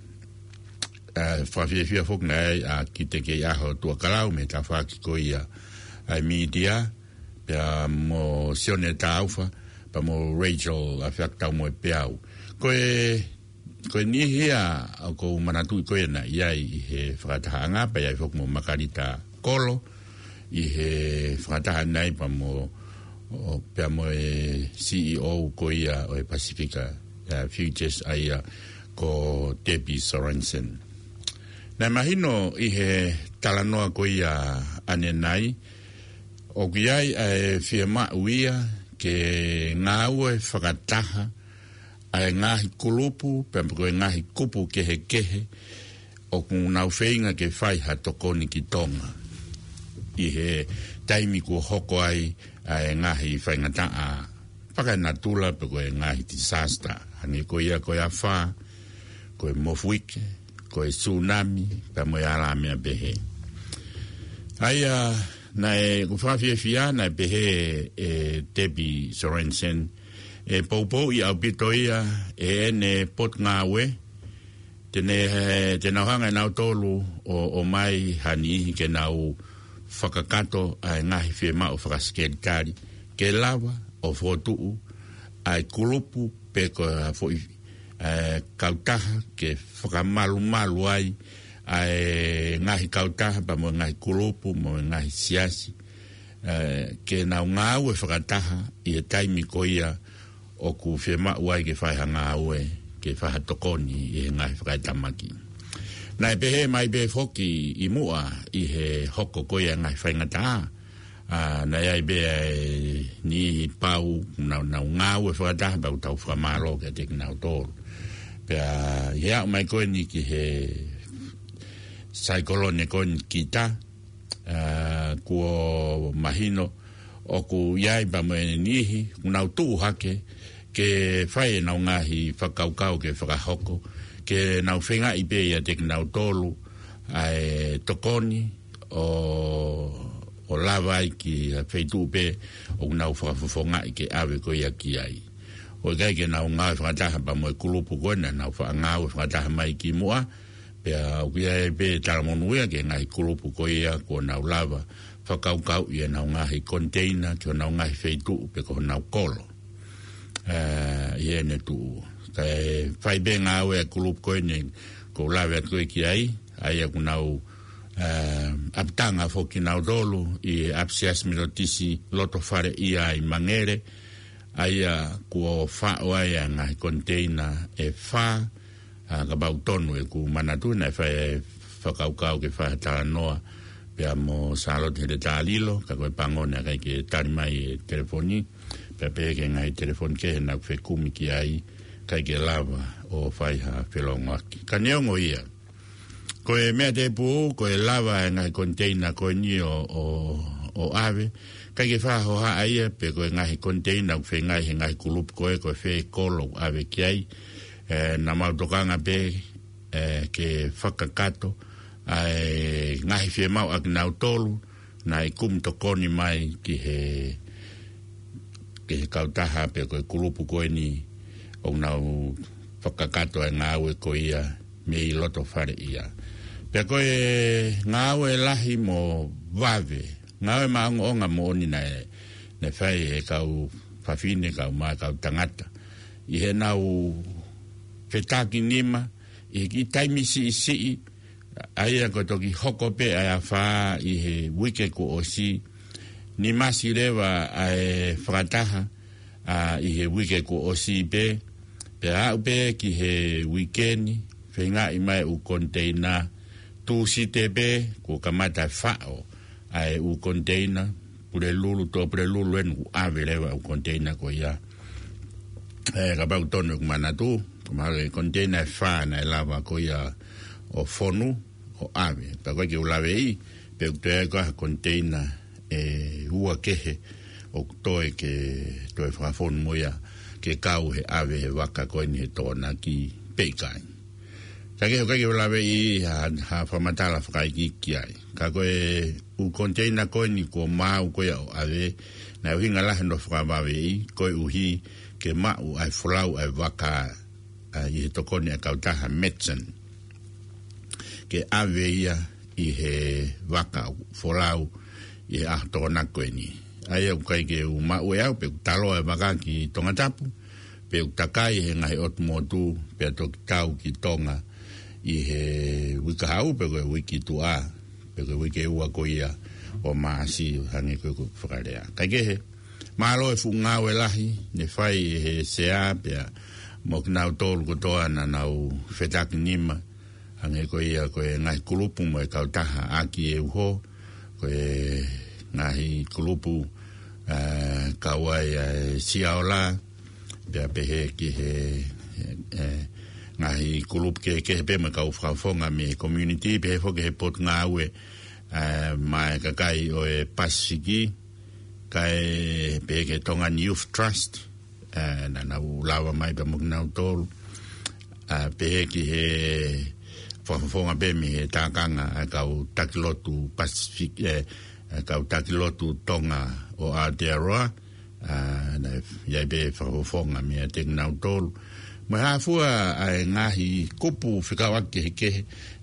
ʻa, fakafiefia foki naʻe ʻi ai ʻa Kite Keiʻaho Tuʻakalau mei he tafaʻaki ko ia ʻa e mītia, pea mo Sione Taufa, pea mo Rachel ʻAfeakitaumoepeau. Ko e, ko e niʻihi ia ʻoku ou manatuʻi ko ē naʻe ʻi ai ʻi he fakatahaʻanga, pea ʻi ai foki mo Makalita Kolo ʻi he fakataha ni pea mo, ʻo, pea mo e C E O ko ia ʻo e Pasifika, ʻa, Futures ʻa ia ko Debbie Sorensen. Naʻe mahino ʻi he talanoa ko ia ʻanenai, ʻoku ʻi ai ʻa e fiemaʻu ia ke ngāue fakataha ʻa e ngaahi kulupu, pea mo e ngaahi kupu kehekehe, ʻoku nau feinga ke fai ha tokoni ki Tonga. ʻI he taimi kuo hoko ai ʻa e ngaahi faingataʻa fakaenatula pe ko e ngaahi disaster. Hangē ko ia ko e afā, ko e mofuike, ko e tsunami, pea mo e alā meʻa pehē. ʻA ia, naʻe ʻoku fakafiefia, naʻe pehē ʻe Debbie Sorensen, ʻe poupouʻi ʻaupito ia ʻe ʻene potungāue, te ne, te nau hanga ʻe nautolu ʻo, ʻomai ha niʻihi ke nau fakakakato ʻa e ngaahi fiemaʻu fakasekelitali, ke lava ʻo fokotuʻu ʻa e kulupu pe ko ha foʻi ʻa e kautaha ke fakamalumalu ai ʻa e ngaahi kautaha pea mo e ngaahi kulupu mo e ngaahi siasi, ē, ke nau ngāue fakataha ʻi he taimi ko ia ʻoku fiemaʻu ai ke fai ha ngāue, ke fai ha tokoni ʻi he ngaahi fakaetamaki. Naʻe pehē mai pē foki ʻi muʻa ʻi he hoko ko ia ngaahi faingataʻa, ʻa, naʻe ʻi ai pē ʻa e niʻihi pau, nau, nau ngāue fakataha pea ʻoku tau fakamālō kiate kinautolu. Pea ʻi he aʻu mai ko eni ki he saikolone ko eni kita, ʻa, kuo mahino ʻoku ʻi ai pea mo e niʻihi, ʻoku nau tuʻu hake, ke fai ʻenau ngaahi fakakaukau ke fakahoko, ke nau feingaʻi pē ʻiate kinautolu ʻa e tokoni, ʻo, ʻo lava ai ki ha feituʻu pē ʻoku nau fakafofongaʻi ke ʻave ko ia ki ai. ʻOku ʻikai ke nau ngāue fakataha pea mo e kulupu ko ena, nau faʻa ngāue fakataha mai ki muʻa, pea ʻoku ʻi ai pē talamonū ia ki he ngaahi kulupu ko ia kuo nau lava fakakaukauʻi ʻenau ngaahi koniteina ki honau ngaahi feituʻu pe ko honau kolo. ʻA, ʻi heʻene tuʻu. Kae fai pē ngāue ʻa e kulupu ko eni ʻoku ou lave atu ko ē ki ai, ʻa ia ʻoku nau, ʻa, ʻapitanga foki kinautolu ʻi he ʻApisiasi Metotisi Lotofale ʻi ʻi Mangere, ʻa ia kuo faʻo ai ʻa e ngaahi koniteina ʻe fā, ʻa, kapau tonu ʻeku manatu naʻe fai e fakakaukau ke fai ha talanoa pea mo Sālote Heletā Lilo, ka ko e pango naʻe ʻikai ke tali mai e telefoni, pea pehē ki he ngaahi telefoni kehe naʻa ku fekumi ki ai, ʻikai ke lava ʻo fai ha felongoaki. Ka neongo ia, ko e meʻa tēpū, ko e lava e ngaahi koniteina ko eni ʻo, ʻo, ʻo ʻave, ʻikai ke fai ha hohaʻa ia pe ko e ngaahi koniteina ʻoku feingaʻi he ngaahi kulupu ko ē, ko e fē kolo ʻoku ʻave ki ai, ē, naʻa mau tokanga pē, ē, ke fakakakato ʻa e ngaahi fiemaʻu ʻa kinautolu naʻe kumi tokoni mai ki he, ki he kautaha pe ko e kulupu ko eni ʻoku nau fakakakato e ngāue ko ia mei Lotofale ʻi ʻi. Pea ko e ngāue lahi mo vave, ngāue maʻongoʻonga moʻoni naʻe, naʻe fai ʻe he kau fafine, kau mā, kau tangata, ʻi heʻenau fetakinima ʻi he kiʻi taimi siʻisiʻi, ʻa ia ko e toki hoko pē ʻa e afā ʻi he uike kuo ʻosi, nimasi leva ʻa e fakataha, ʻa, ʻi he uike kuo ʻosi pē, pea aʻu pē ki he uike ni, feingaʻi mai ʻū koniteina, Tūsite pē kuo kamata faʻo ʻa e ʻū koniteina, Pulelulu, Tuʻapulelulu eni kuo ʻave leva ʻū koniteina ko ia. Ē, kapau tonu ʻeku manatu, ko e mahalo ko e koniteina ʻe fā naʻe lava ko ia ʻo fonu, ʻo ʻave. Pea ko e ke u laveʻi, pe ʻoku toe ʻi ai ko ha koniteina ʻe ua kehe ʻoku toe ke, toe fakafonu mo ia ke kau he ʻave he vaka ko eni he Tokonaki pe ʻikai. Ka ke, ʻoku ʻikai ke u laveʻi ha, ha fakamatala fakaikiiki ai. Ka ko e ʻū koniteina ko eni kuo maau ko ia ʻo ʻave, naʻe ʻuhinga lahi hono fakavaveʻi, koeʻuhi ke maʻu ʻa e folau ʻa e vaka, ʻa, ʻi he tokoni ʻa e kautaha Matson ke ʻave ia ʻi he vaka ʻoku folau ʻi he ʻaho Tokonaki ko eni. ʻA ia ʻoku ʻikai ke u maʻu ʻe au pe ʻoku taloa e vaka ki Tongatapu, pe ʻoku takai he ngaahi ʻotu motu, pea toki tau ki Tonga ʻi he uike kahaʻu pe ko e uike tuʻa, pe ko e uike ua ko ia ʻo Maʻasi, hangē ko e, ko e fakalea. Kae kehe, mālō e fuʻu ngāue lahi naʻe fai ʻe he Sea pea mo kinautolu kotoa naʻa nau fetakinima, hangē ko ia ko e ngaahi kulupu mo e kautaha ʻaki e uho, ko e ngaahi kulupu, ē, kau ai ʻa e Siaola, pea pehē ki he, ē, ngaahi kulupu kehekehe pē mo e kau fakafofonga mei he community, pehē foki he Potungāue, ē, maʻa e kakai ʻo e Pasifiki, kae pehē ki he Tongan Youth Trust, ē, naʻa nau lava mai pea mo kinautolu, ē, pehē ki he fakafofonga pē mei he tākanga ʻa e kau taki lotu Pasifiki, ē, ʻa e kau taki lotu Tonga ʻo Aotearoa, ē, naʻe ʻi ai pē fakafofonga meiate kinautolu. Mo e hā fua ʻa e ngaahi kupu fekauʻaki kehekehe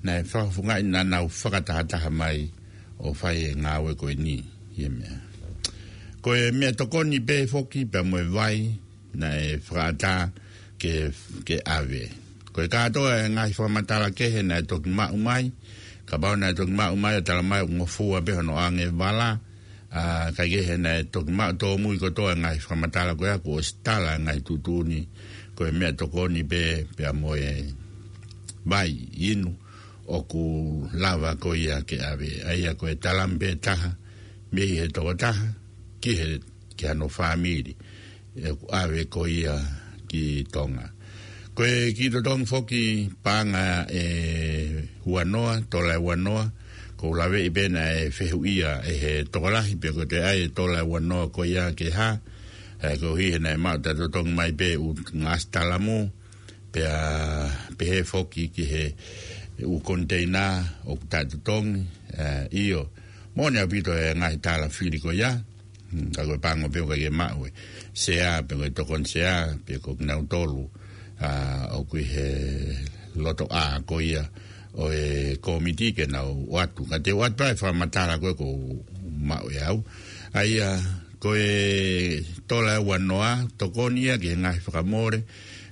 naʻe fakafofongaʻi naʻa nau fakatahataha mai ʻo fai e ngāue ko eni, ʻi he meʻa. Ko e meʻatokoni pē foki pea mo e vai, naʻe fakaʻatā ke, ke ʻave. Ko e kātoa e ngaahi fakamatala kehe naʻe toki maʻu mai, kapau naʻe toki maʻu mai ʻo tala mai ʻoku ngofua pē hono ʻoange vala, ʻa, kae kehe naʻe toki maʻu tōmui kotoa e ngaahi fakamatala ko ia kuo ʻosi tala e ngaahi tuʻutuʻuni, ko e meʻatokoni pē, pea mo e vai inu, ʻoku lava ko ia ke ʻave. ʻA ia ko e talami pē taha, mei he tokotaha, ki he, ki hano fāmili, ʻoku ʻave ko ia ki Tonga. Ko e kiʻi totongi foki paʻanga ʻe uanoa, tola ʻe uanoa, ʻoku ou laveʻi pē naʻe fehuʻia ʻe he tokolahi pe ko e toe ʻai e tola ʻe uanoa ko ia ke hā, ʻa, koeʻuhi he naʻe maʻu ʻeta totongi mai pē ʻū ngaahi talamu, pea pehē foki ki he ʻū koniteina ʻoku taʻetotongi, ʻa, ʻio. Moʻoni ʻaupito e ngaahi tala fili ko ia, mm, ka ko e pango pē ʻoku ʻikai ke maʻu e sea, pe ko e tokoni sea, pe ko kinautolu, ʻa, ʻoku ʻi he lotoʻā ko ia ʻo e kōmiti ke nau ʻoatu. Ka te u ʻoatu pē e fakamatala ko ē ʻoku ou maʻu ʻe au. ʻA ia, ko e tola ʻe uanoa, tokoni ia ki he ngaahi fakamole,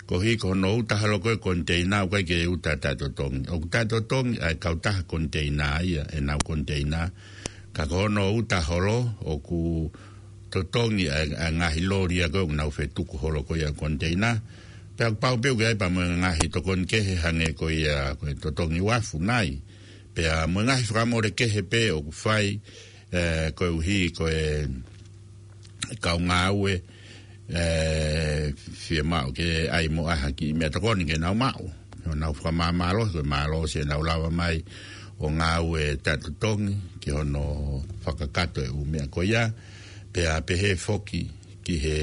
koeʻuhi ko hono uta holo ko ē koniteina ʻoku ʻikai ke uta taʻetotongi. ʻOku taʻetotongi ʻa e kautaha koniteina ia, ʻenau koniteina. Ka ko hono uta holo, ʻoku totongi ʻa e, ʻa e ngaahi loli ia ko ē ʻoku nau fetuku holo ko ia koniteina. Pea ʻoku pau pē ʻoku ʻi ai pea mo e ngaahi tokoni kehe hangē ko ia, ko e totongi uafu nai. Pea mo e ngaahi fakamole kehe pē ʻoku fai, ʻe, koeʻuhi ko e kau ngāue, ʻe, fiemaʻu ke ʻai mo ha kiʻi meʻatokoni ke nau maʻu. ʻO nau fakamāmālohi, ko e mālohi ʻenau lava mai ʻo ngāue taʻetotongi ki hono fakakakato e ʻū meʻa ko ia. Pea pehē foki ki he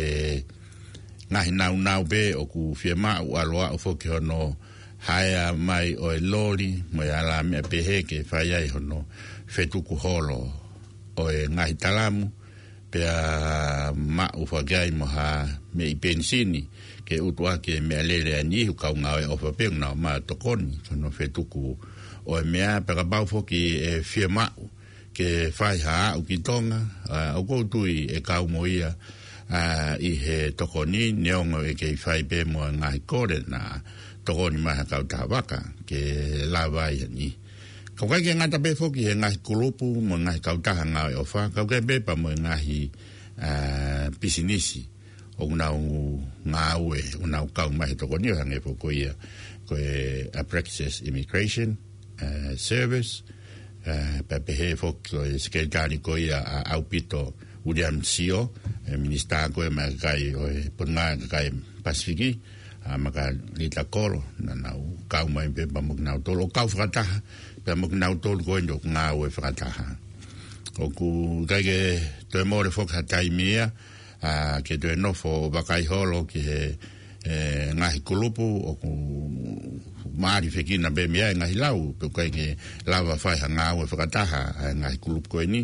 ngaahi naunau pē ʻoku fiemaʻu ʻalu ʻo aʻu foki hono haea mai ʻo e loli, mo e ala meʻa pehē ke fai ai hono fetuku holo ʻo e ngaahi talamu, pea maʻu foki ai mo ha meʻi penisini, ke utuʻaki e meʻalele ʻa e niʻihi ʻoku kau ngāue ʻofa pē ʻoku nau maʻu tokoni, hono fetuku ʻo e meʻa, pea kapau foki ʻe fiemaʻu ke fai ha aʻu ki Tonga, ʻa, ʻoku ou tui ʻe kau mo ia, ʻa, ʻi he tokoni, neongo ʻe kei fai pē mo e ngaahi kole naʻa tokoni mai ha kautaha vaka, ke lava ai ʻa e niʻihi. Ka ʻoku ʻikai ke ngata pē foki he ngaahi kulupu, mo e ngaahi kautaha ngāue ʻofa, ka ʻoku ʻikai pē pea mo e ngaahi, ʻa, pisinisi ʻoku nau ngāue, ʻoku nau kau mai he tokoni ʻo hangē foki ko ia, ko e Abrakis Immigration, ʻa, Service, ʻa, pea pehē foki ko e Sekelitali ko ia ʻa ʻAupito William Sio, ʻe Minisitā ko ē maʻa e kakai ʻo e Potungāue ʻa e Kakai Pasifiki, ʻa, Makalita Kolo, naʻa nau kau mai pē pea mo kinautolu, ʻo kau fakataha, pea mo kinautolu ko eni ʻoku ngāue fakataha. ʻOku ʻikai ke toe mole foki ha taimi ia, ʻa, ke toe nofo ʻo vakai holo ki he, ʻe, ngaahi kulupu, ʻoku mālifekina pē mei ai e ngaahi lau, pea ʻoku ʻikai ke lava fai ha ngāue fakataha ʻa e ngaahi kulupu ko eni,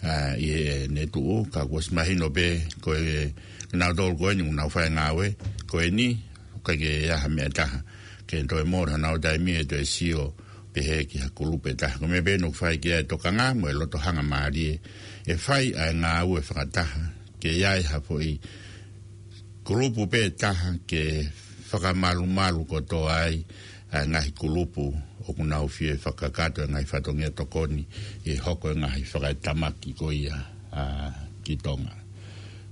ʻa, ʻi heʻene tuʻu, ka kuo ʻosi mahino pē ko e, kinautolu ko eni, ʻoku nau fai e ngāue ko eni, ʻoku ʻikai ke ʻi ai ha meʻa ʻe taha ke toe mole honau taimi ʻe toe sio pehē ki ha kulupu ʻe taha. Ko e meʻa pē ʻoku fai ki ai e tokanga mo e loto hangamālie ʻe fai ʻa e ngāue fakataha, ke ʻi ai ha foʻi kulupu pē ʻe taha ke fakamalumalu kotoa ai ʻa e ngaahi kulupu ʻoku nau fie fakakakato e ngaahi fatongia tokoni ʻi he hoko e ngaahi fakaetamaki ko ia, ʻa, ki Tonga.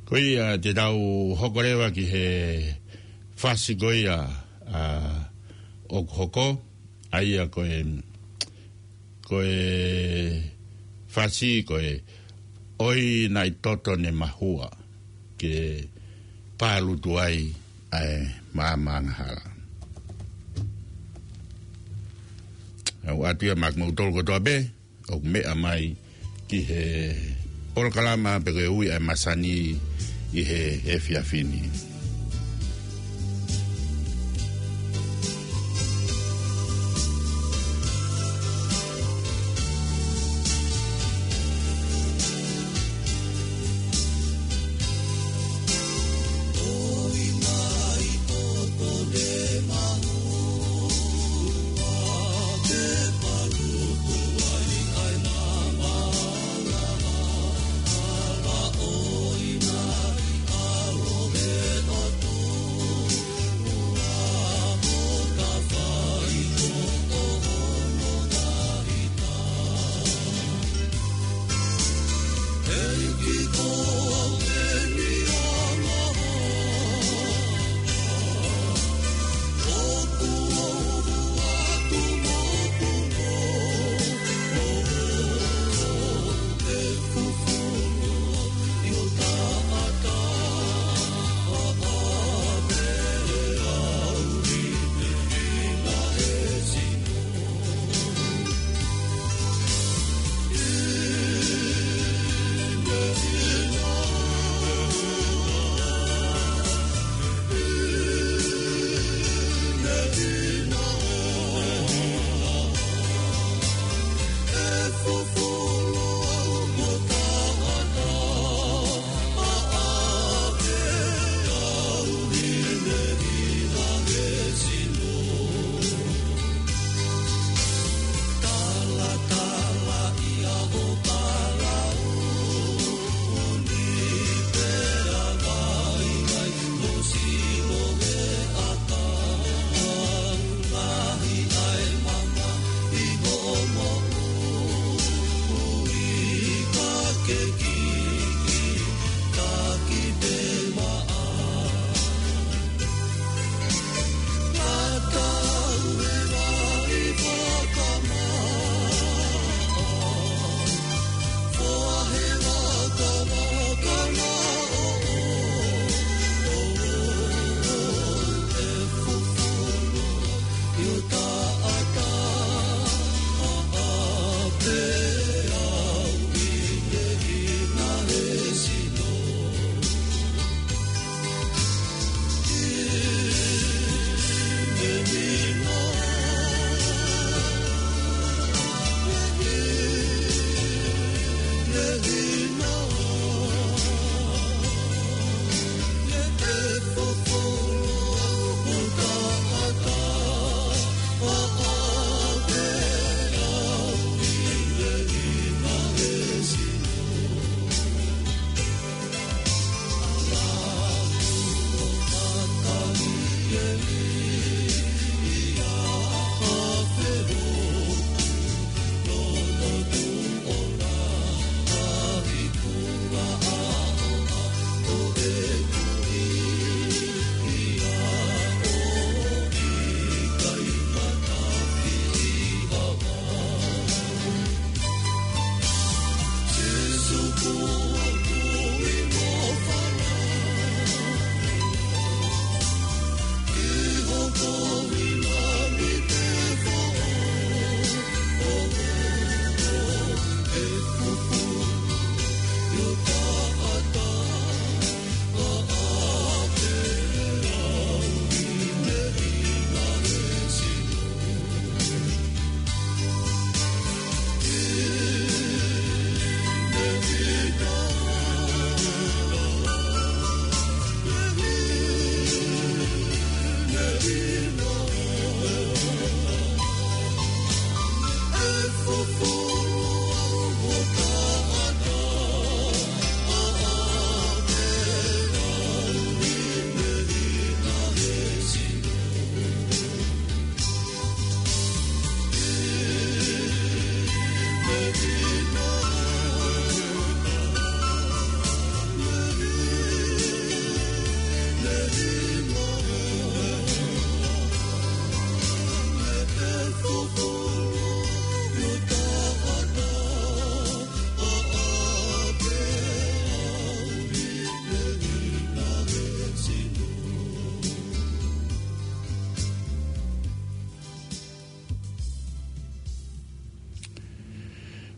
Ko ia te tau hoko leva ki he fasi ko ia, ʻa, ʻoku hoko, ʻa ia ko e, ko e fasi ko e ʻOi Naʻi Toto Ne Mahua, ke palutu ai ʻa e maama angahala. ʻOku ʻoatu ia maʻa kimoutolu kotoa pē ʻoku meʻa mai ki he polokalama pe ko e Ui ʻa e Masani ʻi he efiafi ni.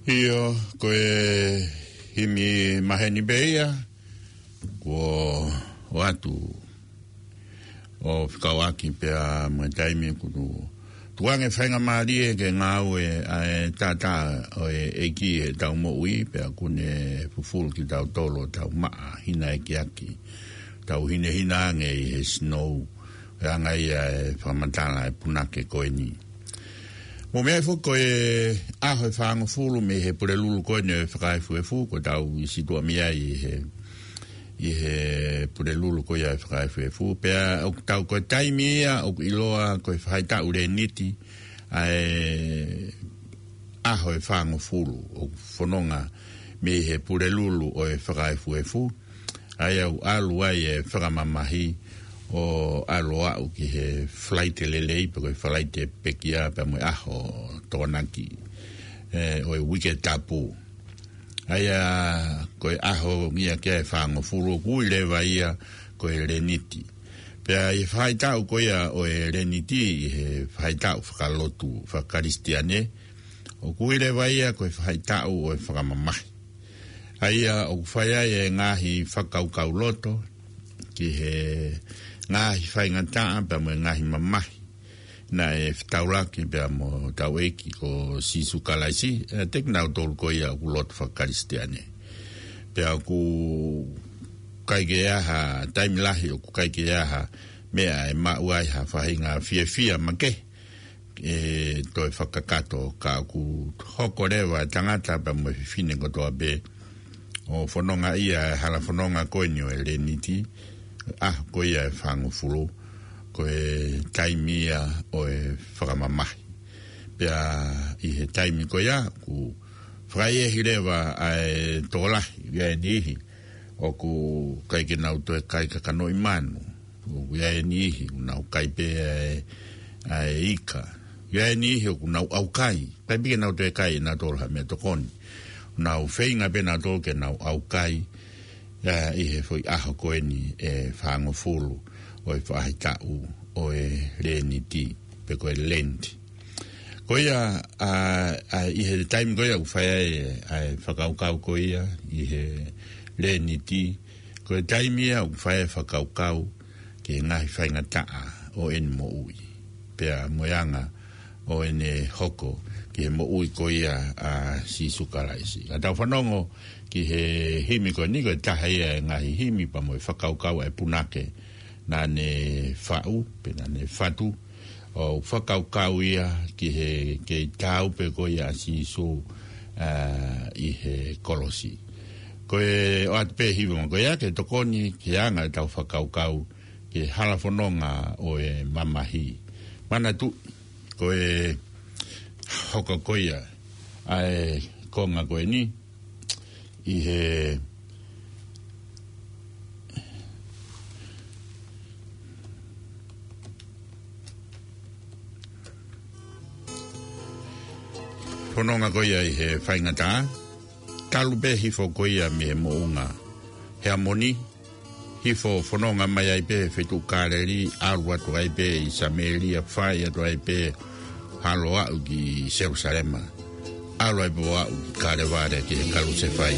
ʻIo, ko e himi maheni pē ia, kuo ʻoatu ʻo fekauʻaki pea mo e taimi kuo tuku ange faingamālie ke ngāue ʻa e taʻataʻa ʻo e ʻEiki ʻi heʻetau moʻui, pea kuo ne fufulu kitautolu ʻo tau maʻa hinaekiaki, tau hinehina ange ʻi he sinou, ʻo hangē ia e fakamatala ʻa e punake ko eni. Mou meaʻi foki ko e ʻaho ʻe fāngofulu mei he Pulelulu ko eni ʻo e Fakaefuefu, kuo tau ʻi situʻa mei ai ʻi he, ʻi he Pulelulu ko ia ʻo e Fakaefuefu. Pea ʻoku tau ko e taimi ia ʻoku ʻiloa ko e faʻahitaʻu Leniti, ʻa e ʻaho ʻe fāngofulu ʻoku fononga mei he Pulelulu ʻo e Fakaefuefu. ʻA ia ʻoku ʻalu ai e fakamamahi ʻo ʻalu ʻo aʻu ki he Falaite Lelei, pe ko e Falaite Pekia, pea mo e ʻaho Tokonaki, ē, ʻo e Uike Tapu. ʻA ia ko e ʻaho ia ke ʻe fāngofulu ʻoku ui leva ia ko e Leniti. Pea ʻi he faʻahitaʻu ko ia ʻo e Leniti ʻi he faʻahitaʻu fakalotu fakakalisitiane, ʻoku ui leva ia ko e faʻahitaʻu ʻo e fakamamahi. ʻA ia ʻoku fai ai e ngaahi fakakaukau loto ki he ngaahi faingataʻa pea mo e ngaahi mamahi naʻe fetaulaki pea mo hotau ʻEiki ko Sīsū Kalaisi, ʻiate kinautolu ko ia ʻoku lotu fakakalisitiane. Pea ʻoku ʻikai ke ʻi ai ha taimi lahi, ʻoku ʻikai ke ʻi ai ha meʻa ʻe maʻu ai ha faʻahinga fiefia makehe ʻe toe fakakakato, ka ʻoku hoko leva e tangata pea mo e fefine kotoa pē ʻo fononga ia he hala fononga ko eni ʻo e Leniti, ʻaho ko ia ʻe fāngofulu, ko e taimi ia ʻo e fakamamahi. Pea ʻi he taimi ko ia ʻoku fakaʻehiʻehi leva ʻa e tokolahi, ʻa e niʻihi ʻoku ʻikai ke nau toe kai kakanoʻi manu. ʻOku ʻi ai e niʻihi ʻoku nau kai pē ʻa e, ʻa e ika. ʻI ai e niʻihi ʻoku nau ʻaukai. ʻIkai pē ke nau toe kai ʻe nautolu ha meʻatokoni. ʻOku nau feinga pē nautolu ke nau ʻaukai, ʻa, ʻi he foʻi ʻaho ko eni ʻe fāngofulu ʻo e faʻahitaʻu ʻo e Leniti, pe ko e Lent. Ko ia, ʻa, ʻa, ʻi he taimi ko ia ʻoku fai ai ʻa e fakakaukau ko ia ʻi he Leniti, ko e taimi ia ʻoku fai ai e fakakaukau ki he ngaahi faingataʻa ʻo ʻene moʻui, pea mo e anga ʻo ʻene hoko ki he moʻui ko ia ʻa Sīsū Kalaisi. Ka tau fanongo ki he himi ko eni, ko e taha ia e ngaahi himi pea mo e fakakaukau ʻa e punake naʻa ne faʻu, pe naʻa ne fatu, ʻo fakakaukau ia ki he kei taau pē ko ia ʻa Sīsū, ā, ʻi he kolosi. Ko e ʻoatu pē e hiva ko ia ke tokoni ki he anga ʻetau fakakaukau ki he hala fononga ʻo e mamahi. Manatuʻi, ko e hoko ko ia ʻa e konga ko eni, ʻi he fononga ko ia ʻi he faingataʻa, talu pē hifo ko ia mei he moʻunga Heamoni, hifo fononga mai ai pē he feituʻu Kāleli, ʻalu atu ai pē ʻi Samēlia, fai atu ai pē ʻo aʻu ki Selusalema. ʻAlu ai pē ʻo aʻu ki Kalevale ki he kalusefai.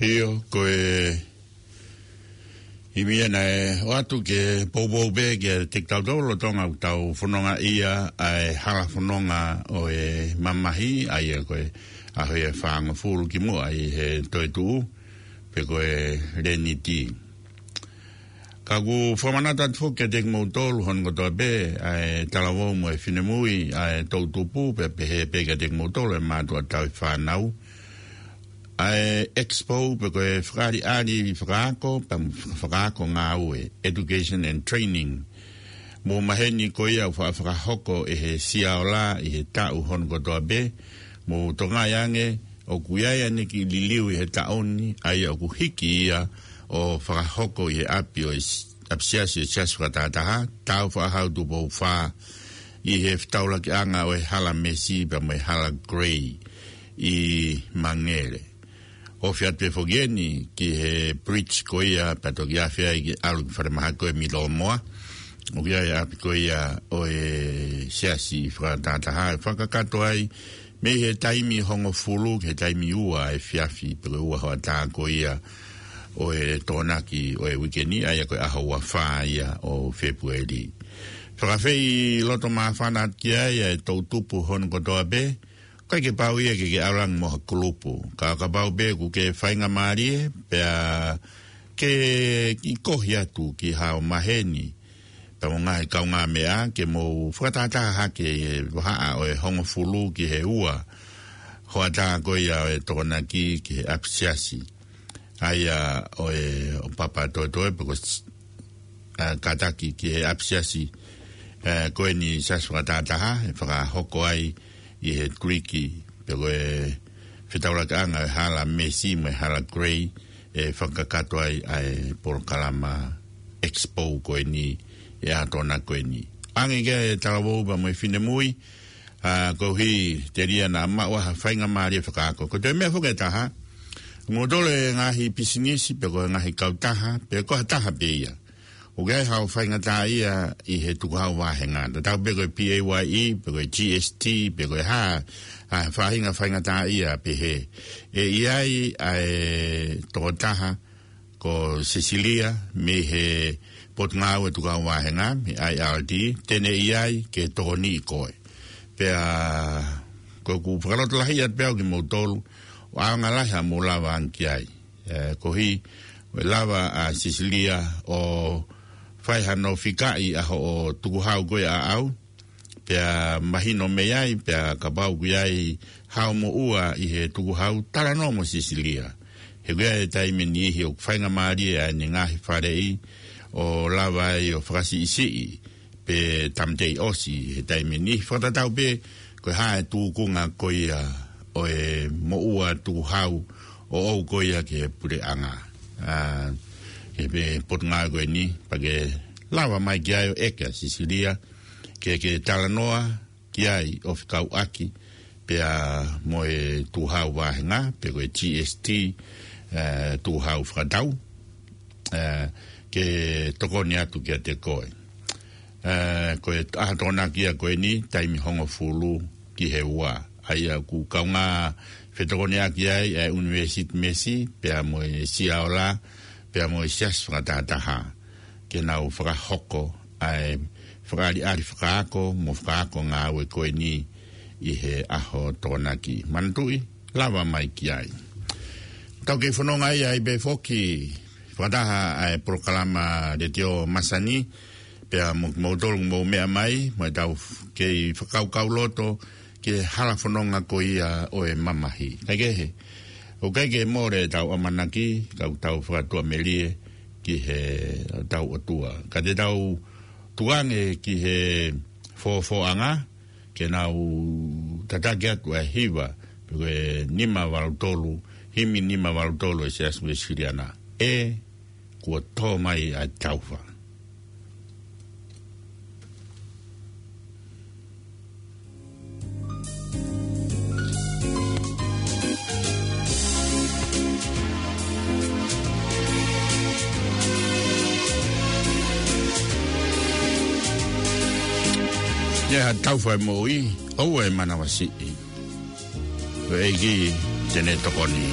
ʻIo, ko e ʻimi ia naʻe ʻoatu ke poupou pē kiate kitautolu lolotonga ʻetau fononga ʻi he hala fononga ʻo e mamahi, ʻa ia ko e ʻaho ʻe fāngofulu kimuʻa ʻi he toetuʻu, pe ko e Leniti. Ka ʻoku fakamanatu atu foki kiate kimoutolu hono kotoa pē, ʻa e talavou mo e finemui, ʻa e toʻutupu, pea pehē pē kiate kimoutolu ʻa e mātuʻa tauhi fānau, ʻa e expo pe ko e fakaʻaliʻali fakaako, pea mo e fakaako ngāue, education and training. Mou maheni ko ia ʻoku faʻa fakahoko ʻe he Siaola ʻi he taʻu hono kotoa pē, mou tokangaʻi ange ʻoku ʻi ai ʻene kiʻi liliu ʻi he taʻu ni, ʻa ia ʻoku hiki ia ʻo fakahoko ʻi he ʻapi ʻo e s-, ʻapisiasi ʻo e Siasi Fakatātā, taʻu fakahau Tupou Fā, ʻi he fetaulakiʻanga ʻo e Hala Mesi pea mo e Hala Grey ʻi Mangere. ʻOfi atu pē foki eni ki he bridge ko ia, pea toki afe ai ke ʻalu ki Falemahaki ko e Milomoa. ʻOku ʻi ai ʻapi ko ia ʻo e Siasi Fakatātā, ʻe fakakakato ai mei he taimi hongofulu ki he taimi ua efiafi, pe ko e ua hoʻatā ko ia ʻo e Tokonaki ʻo e uike ni, ʻa ia ko e ʻaho ua fā ia ʻo Fēpueli. Fakaafeʻi loto māfana atu ki ai ʻa e toʻutupu hono kotoa pē, ʻikai ke pau ia ke ke ʻalu ange mo ha kulupu. Ka, kapau pē ʻoku ke faingamālie, pea ke kiʻi kohi atu ki haʻo maheni, pea mo e ngaahi kaungāmeʻa, ke mou fakatātā hake ʻi he vahaʻa ʻo e hongofulu ki he ua hoʻatā ko ia ʻo e Tokonaki ki he ʻapisiasi, ʻa ia ʻo e, ʻo Papatoetoe pe ko s-, ʻa, kātaki ki he ʻapisiasi, ʻa, ko eni Siasi Fakatātā, ʻe fakahoko ai ʻi he Tuiki, pe ko e fetaulakiʻanga ʻo e Hala Mesi mo e Hala Grey, ʻe fakakakato ai ʻa e polokalama expo ko eni ʻi he ʻaho Tokonaki ko eni. ʻAnge ki ai e talavou pea mo e finemui, ʻa, koeʻuhi telia naʻa maʻu ha faingamālie fakaako. Ko e toe meʻa foki ʻe taha, moutolu e ngaahi pisinisi, pe ko e ngaahi kautaha, pe ko ha taha pē ia ʻoku ʻi ai haʻo faingataʻaʻia ʻi he tukuhau vāhenga. Tatau pē ko e P A Y E, pe ko e G S T, pe ko e hā, ʻa e faʻahinga faingataʻaʻia pehē. ʻE ʻi ai ʻa e tokotaha ko Sisilia mei he Potungāue Tukuhau Vāhenga, mei he I R D, te ne ʻi ai ke tokoniʻi koe. Pea ko ʻeku fakalotolahi atu pē au kimoutolu, ʻo ʻaonga lahi haʻamou lava ange ki ai. ʻE, koeʻuhi, ʻe lava ʻa Sisilia ʻo fai hano fikaʻi ʻa hoʻo tukuhau ko ia ʻaʻau, pea mahino mei ai, pea kapau ʻoku ʻi ai haʻo moʻua ʻi he tukuhau, talanoa mo Sisilia. He ʻoku ʻi ai e taimi ʻe niʻihi ʻoku faingamālie ʻa ʻene ngaahi faleʻi ʻo lava ai ʻo fakasiʻisiʻi pe tāmateʻi ʻosi he taimi ni, fakatatau pē ko e hā e tūkunga ko ia ʻo e moʻua tukuhau ʻoʻou ko ia ki he puleʻanga. ʻA, ki he Potungāue ko eni, pea ke lava mai ki ai ʻo ʻeke ʻa Sisilia, ke ke talanoa ki ai ʻo fekauʻaki pea mo e tukuhau vāhenga, pe ko e G S T, ʻe, tukuhau fakatau, ʻe, ke tokoni atu kiate koe. ʻE, ko e ʻaho Tokonaki ia ko eni, taimi hongofulu ki he ua. ʻA ia ʻoku kaungā fetokoniʻaki ai ʻa e ʻUnivēsiti Mesi, pea mo e Siaola, pea mo e Siasi Fakatātā, ke nau fakahoko ʻa e fakaʻaliʻali fakaako mo fakaako ngāue ko eni ʻi he ʻaho Tokonaki. Manatuʻi, lava mai ki ai. Tau kei fononga ai pē foki, fakataha ʻa e polokalama Letiō Masani, pea mo, moutolu mou meʻa mai, mo ʻetau f-, kei fakakaukau loto ki he hala fononga ko ia ʻo e mamahi. Kaikehe, ʻoku ʻikai ke mole ʻetau ʻamanaki, ka ʻoku tau fakatuʻamelie ki he tau ʻOtua. Ka te tau tuku ange ki he fofoʻanga, ke nau tataki atu ʻa e hiva, pe ko e nima valu tolu, himi nima valu tolu ʻo e Siasi Uēsiliana. ʻE, kuo tō mai ʻa e taufa. ʻI ai ha taufa ʻe moʻui, ʻoua ʻe manavasiʻi. Ko e ʻEiki te ne tokoni.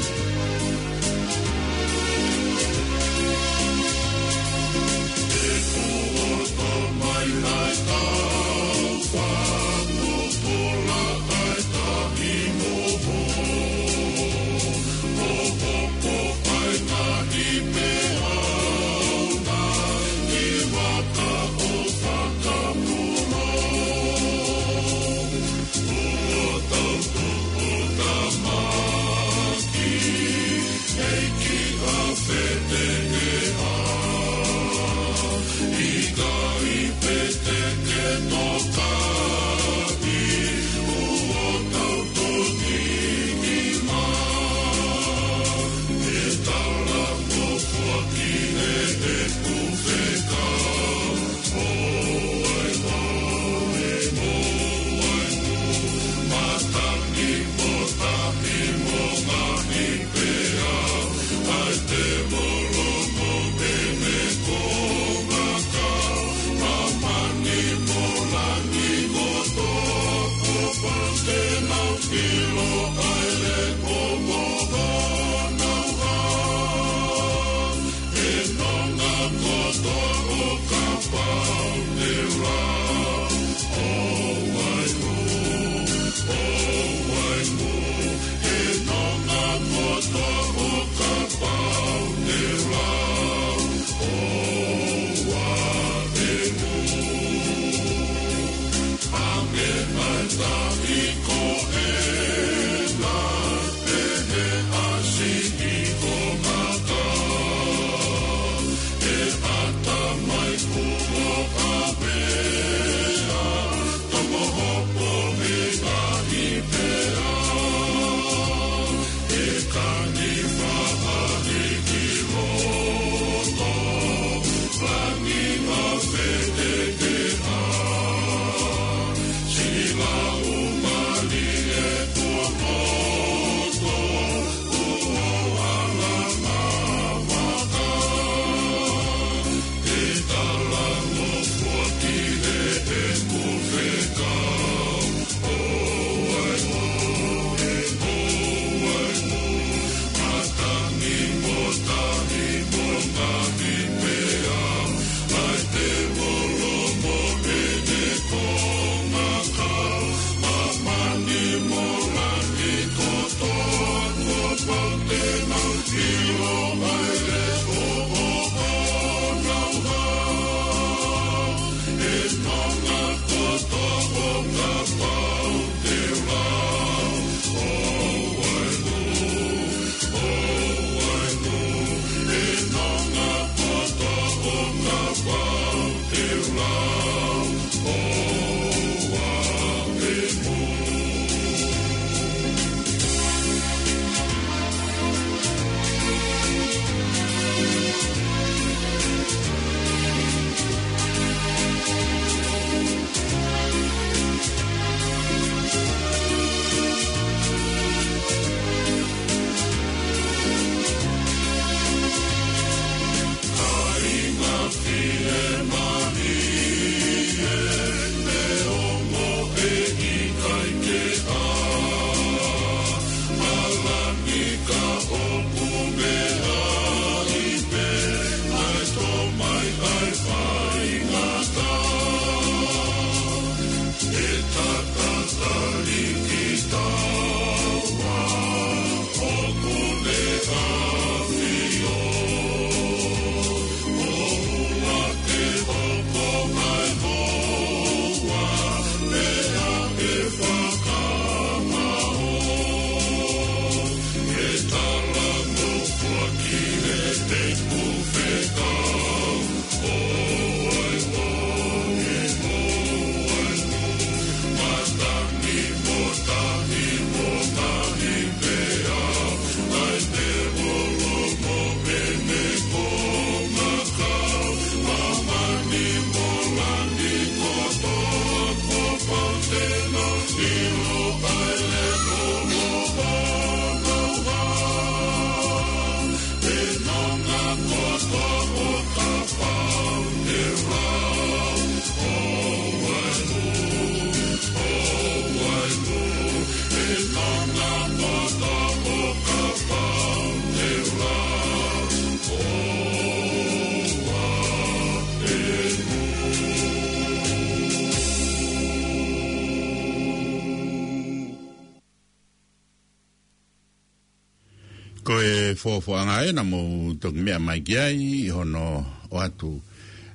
Fofoʻanga ē naʻa mou toki meʻa mai ki ai ʻi hono ʻoatu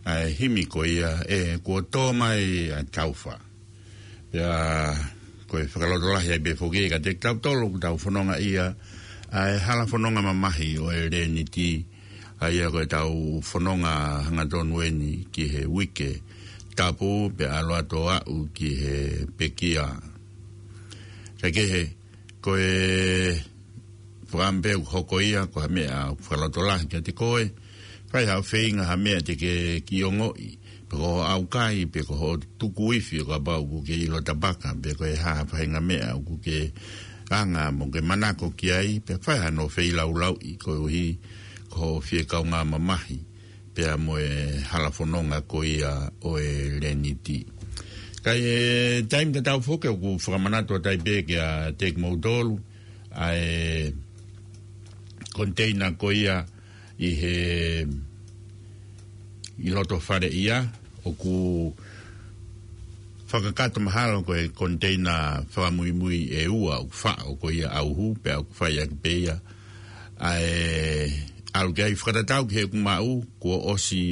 ʻa e himi ko ia ʻe Kuo Tō Mai ʻa Taufa. Pea ko e fakalotolahi ai pē foki kiate kitautolu ʻoku tau fononga ia ʻa e hala fononga mamahi ʻo e Leniti, ʻa ia ko ʻetau fononga hangatonu eni ki he uike tapu pea ʻalu atu ʻo aʻu ki he pekia. Kae kehe, ko e fakaʻamu pē ʻoku hoko ia, ko ha meʻa ʻoku fakalotolahi kiate koe, fai haʻo feinga ha meʻa te ke kiʻi ongoʻi, pe ko hoʻo ʻaukai, pe ko hoʻo tuku ifi, ʻo kapau ʻoku ke ʻilo tapaka, pe ko e hā ha faʻahinga meʻa ʻoku ke anga mo ke manako ki ai, pea fai hano feilaulauʻi, koeʻuhi ko hoʻo fie kaungā mamahi pea mo e hala fononga ko ia ʻo e Leniti. Ka ʻi he taimi tatau foki ʻoku fakamanatu atu ai pē kiate kimoutolu ʻa e koniteina ko ia ʻi he, ʻi loto fale ia, ʻoku fakakakato mahalo ko e koniteina fakamuimui ʻe ua ʻoku faʻo ko ia ʻauhu, pea ʻoku fai ʻaki pē ia ʻa e ʻalu ki ai. Fakatatau ki heʻeku maʻu, kuo ʻosi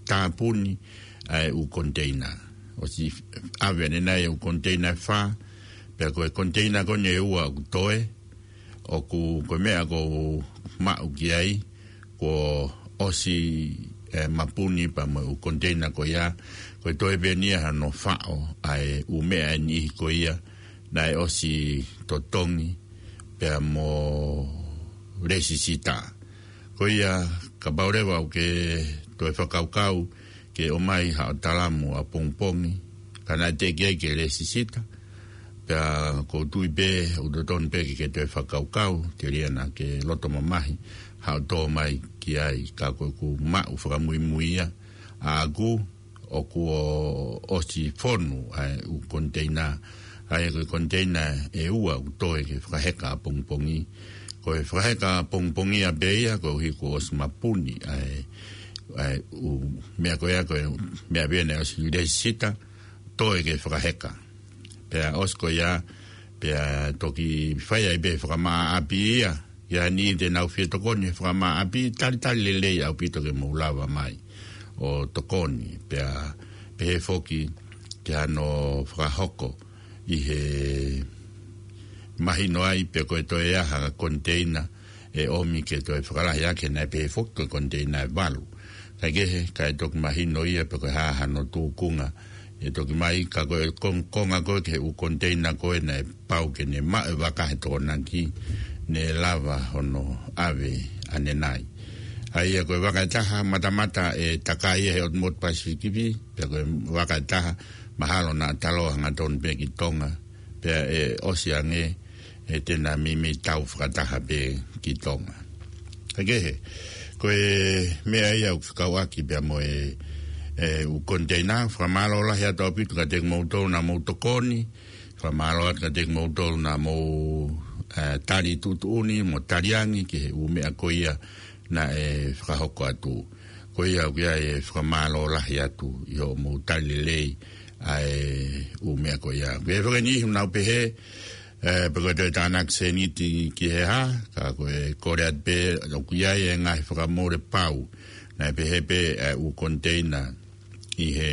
tāpuni ʻa e ʻū koniteina. ʻOsi ʻave ʻanenai ʻū koniteina ʻe fā, pea ko e koniteina ko eni ʻe ua ʻoku toe, ʻoku, ko e meʻa ʻoku ou maʻu ki ai, kuo ʻosi, ē, mapuni pea mo e ʻū koniteina ko ia, ko e toe pē eni ia hano faʻo ʻa e ʻū meʻa ʻe niʻihi ko ia naʻe ʻosi totongi pea mo lēsisita. Ko ia, kapau leva ʻoku ke toe fakakaukau ke ʻomai haʻo talamu ʻapongipongi, ka naʻe teʻeki ai ke lēsisita, pea ʻoku ou tui pē ʻoku totonu pē ke ke toe fakakaukau, telia naʻa ke loto mamahi haʻo tō mai ki ai. Ka ko ʻeku maʻu fakamuimui ia ʻaʻaku, ʻoku ʻosi fonu ʻa e ʻū koniteina, ʻa ia ko e koniteina ʻe ua ʻoku toe ke fakaheka ʻapongipongi. Ko e fakaheka ʻapongipongi ia pē ia, koeʻuhi kuo ʻosi mapuni ʻa e, ʻa e ʻū meʻa ko ia, ko e meʻa pē ia naʻe ʻosi lēsisita, toe ke fakaheka. Pea ʻosi ko ia, pea toki fai ai pē fakamaʻa ʻapi ia, ʻi ai ha niʻihi te nau fie tokoni he fakamaʻa ʻapi, talitali lelei ʻaupito ke mou lava mai ʻo tokoni, pea pehē foki ki hano fakahoko ʻi he mahino ai pe ko e toe ʻi ai ha koniteina ʻe ʻomi ke toe fakalahi ʻaki, naʻe pehē foki ko e koniteina ʻe valu. Kae kehe, kae toki mahino ia pe ko e hā hano tūkunga ʻe toki mai, ka ko e kon-, konga ko ē ki he ʻū koniteina ko ē naʻe pau ke ne maʻu ʻe he vaka he Tokonaki, ne lava hono ʻave ʻanenai. ʻA ia ko e vaka ʻe taha matamata ʻe takai ia he ʻotu motu Pasifiki, pea ko e vaka ʻe taha mahalo naʻa taloa hangatonu pē ki Tonga, pea ʻe ʻosi ange ʻe te na meimei tau fakataha pē ki Tonga. Kae kehe, ko e meʻa ia ʻoku fekauʻaki pea mo e, e ʻū koniteina, fakamālō lahi atu ʻaupito kiate kimoutolu naʻa mou tokoni, fakamālō atu kiate kimoutolu naʻa mou, e, tali tuʻutuʻuni mo tali angi ki he ʻū meʻa ko ia naʻe fakahoko atu. Ko ia ʻoku ʻi ai e fakamālō lahi atu ʻi hoʻomou tali lelei ʻa e ʻū meʻa ko ia. Ko e faka niʻihi naʻa nau pehē, e, pe ko e toe tānaki sēniti ki he hā, ka ko e kole atu pē, ʻoku ʻi ai e ngaahi fakamole pau. Naʻe pehē pē, e, ʻū koniteina ʻi he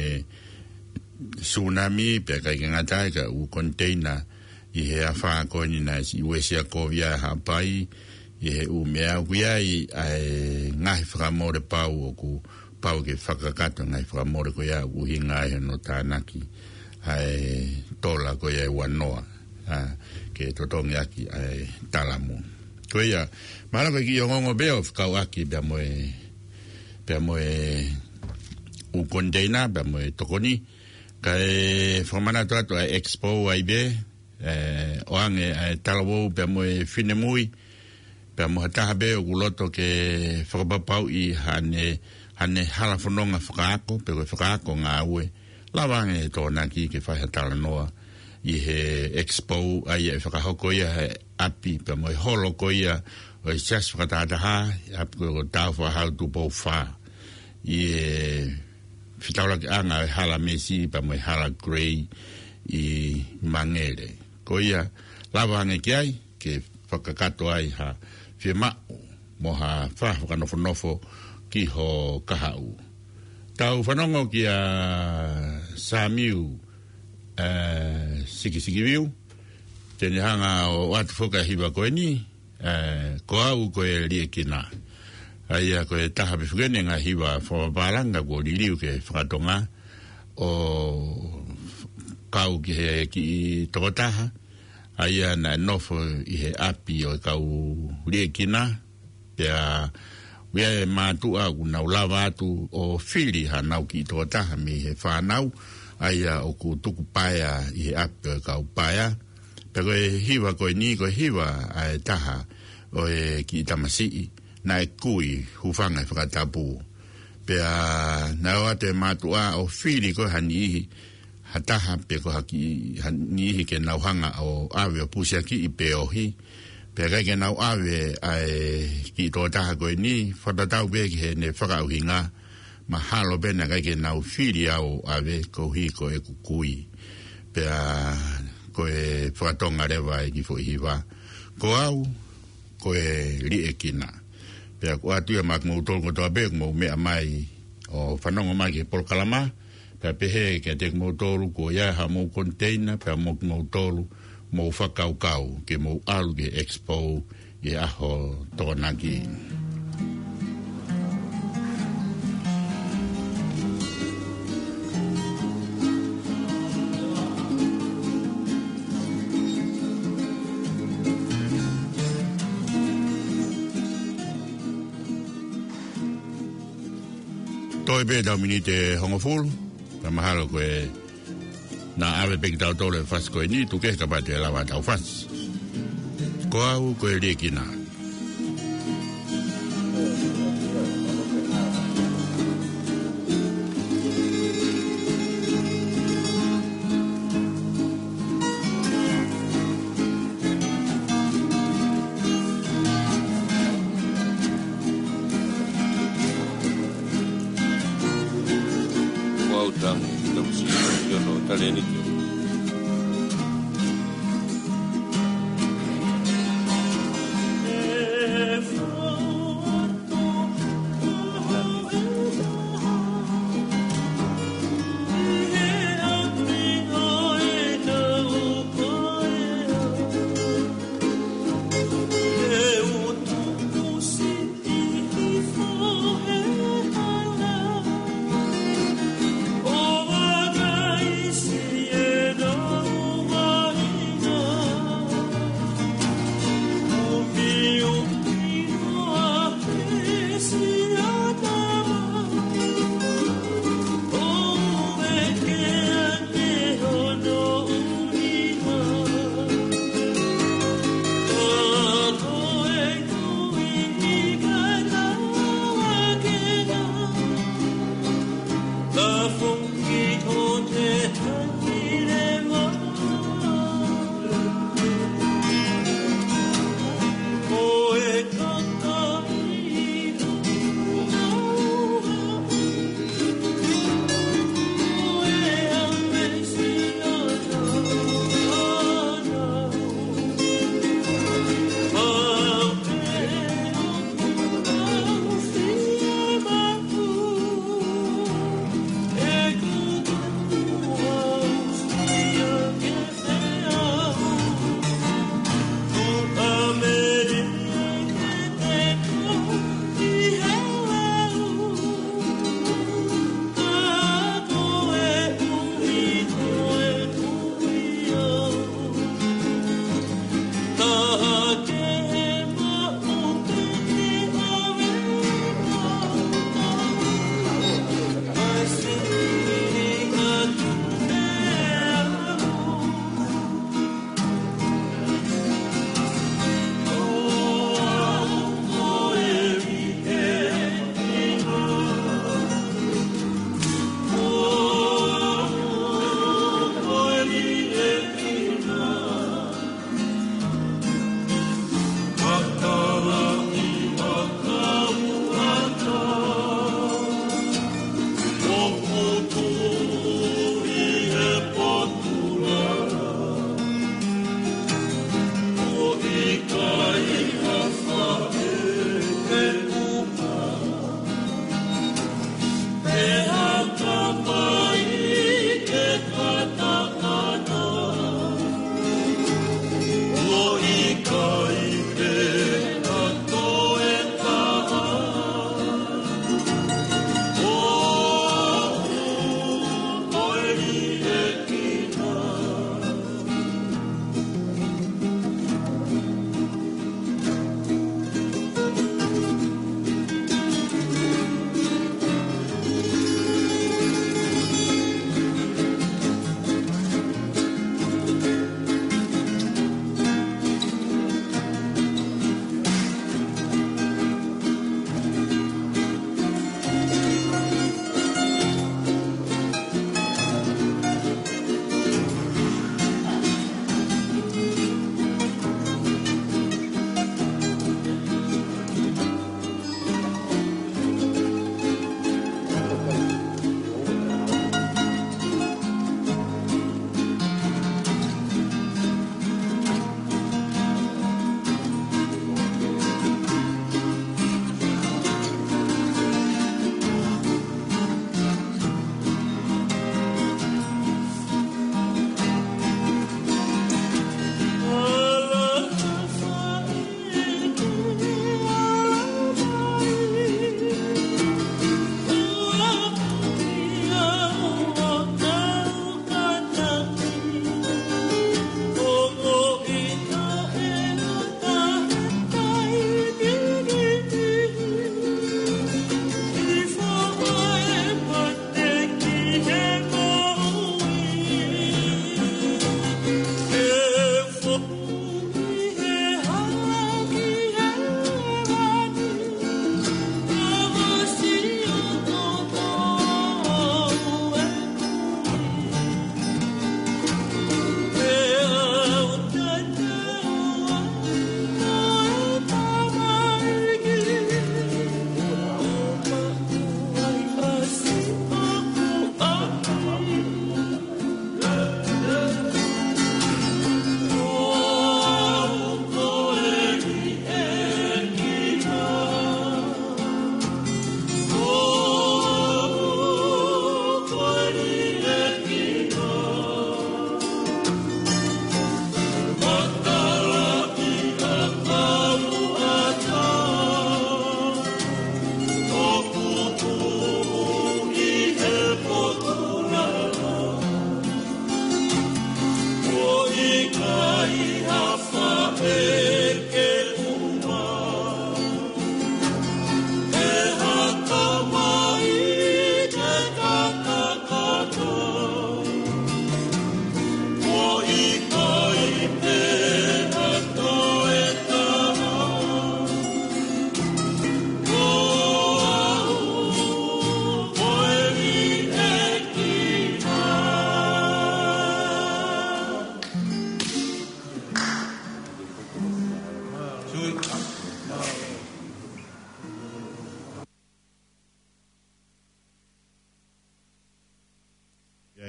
tsunami, pea ʻikai ke ngata ai ka ʻū koniteina ʻi he afā ko eni naʻe siʻi uesia kovi ai Haʻapai, ʻi he ʻū meʻa ʻoku ʻi ai ʻa e ngaahi fakamole pau ʻoku pau ke fakakakato ngaahi fakamole ko ia ʻoku ʻuhinga ai hono tānaki ʻa e tola ko ia ʻe ua noa, a, ke totongi ʻaki ʻa e talamu. Ko ia, mahalo ko e kiʻi ongoongo pē ʻo fekauʻaki pea mo e, pea mo e ʻū koniteina, pea mo e tokoni, kae fakamanatu atu ʻa e expo ai pē, e, ʻoange ʻa e talavou pea mo e finemui, pea mo ha taha pē ʻoku loto ke fakapapauʻi haʻane, haʻane hala fononga fakaako, pe ko e fakaako ngāue, lava ange he Tokonaki ke fai ha talanoa ʻi he expo, ʻa ia ʻe fakahoko ia he ʻapi, pea mo e holo ko ia ʻo e Siasi Fakatahataha, ʻapi ko e Tāufaʻāhau Tupou Fā, ʻi he fetaulakiʻanga ʻo e Hala Mesi pea mo e Hala Grey ʻi Mangere. Ko ia, lava ange ki ai, ke fakakakato ai ha fiemaʻu mo ha fā fakanofonofo ki ho kahaʻu. Tau fanongo kia Samiu, ē, Sikisikiviu, te ne hanga ʻo ʻoatu foki ʻa e hiva ko eni, ē, Ko Au Ko E Liʻekina. ʻA ia ko e taha pē foki eni e ngaahi hiva fakapālangi kuo liliu ke fakatonga ʻo kau ki he kiʻi tokotaha ʻa ia naʻe nofo ʻi he ʻapi ʻo e kau liʻekina, pea ʻoku ʻi ai e mātuʻa ʻoku nau lava atu ʻo fili haʻanau kiʻi tokotaha mei he fānau, ʻa ia ʻoku tuku paea ʻi he ʻapi ʻo e kau paea. Pea ko e hiva ko eni, ko e hiva ʻa e taha ʻo e kiʻi tamasiʻi naʻe kui, hūfanga he fakatapu. Pea naʻe ʻoatu e mātuʻa ʻo fili ko ē ha niʻihi, ha taha pe ko ha kiʻi, ha niʻihi ke nau hanga ʻo ʻave ʻo pusiakiʻi pe ohi. Pea ʻikai ke nau ʻave ʻa e kiʻi tokotaha ko eni, fakatatau pē ki heʻene fakaʻuhinga, mahalo pē naʻe ʻikai ke nau fili au ʻave koeʻuhi ko ʻeku kui. Pea ko e fakatonga leva e kiʻi foʻi hiva, Ko Au Ko E Liʻekina. Pea ʻoku ʻoatu ia maʻa kimoutolu kotoa pē ʻoku mou meʻa mai ʻo fanongo mai ki he polokalama, pea pehē kiate kimoutolu kuo ʻi ai haʻamou koniteina, pea mo kimoutolu mou fakakaukau ke mou ʻalu ki he Expo ʻi he ʻaho Tokonaki. Toe pē ʻetau miniti ʻe hongofulu, ka mahalo ko e naʻa ʻave pē kitautolu e fasi ko eni, tuku kehe kapau te lava ʻetau fasi. Ko Au Ko E Liʻekina. Ko au tangi, tamusi, ʻi hono talēniti.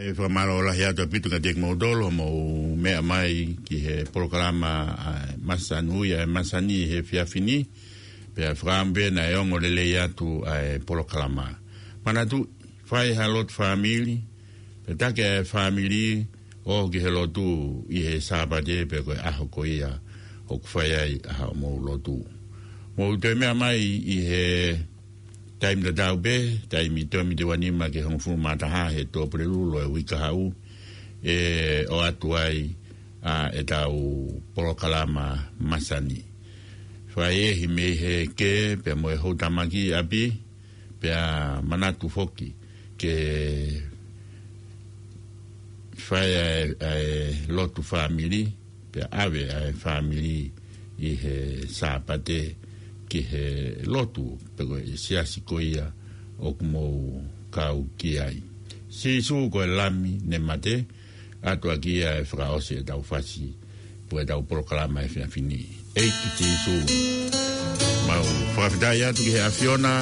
ʻE fakamālō lahi atu ʻaupito kiate kimoutolu hoʻomou meʻa mai ki he polokalama ʻa e Masani ʻa e Masani he efiafi ni. Pea fakaʻamu pē naʻe ongo lelei atu ʻa e polokalama. Manatuʻi, fai ha lotu fāmili, pea taki ʻa e fāmili ʻo ō ki he lotu ʻi he Sāpate pe ko e ʻaho ko ia ʻoku fai ai ʻa hoʻomou lotu. Mou toe meʻa mai ʻi he taimi tatau pē, taimi tolu miniti ua nima ki he hongofulu mā taha he Tuʻapulelulu ʻo e uike kahaʻu, ʻe ʻoatu ai ʻa ʻetau polokalama Masani. Fakaʻehiʻehi mei he kē pea mo e houtamaki ʻi ʻapi, pea manatu foki ke fai ʻa e, ʻa e lotu fāmili, pea ʻave ʻa e fāmili ʻi he Sāpate ki he lotu pe ko e siasi ko ia ʻoku mou kau ki ai. Sīsū ko e Lami ne mate, ʻoatu ʻaki ia e fakaʻosi ʻetau fasi, pe ko ʻetau polokalama he efiafi ni. ʻEiki Sīsū, mau fakafetaʻi atu ki he ʻAfiona,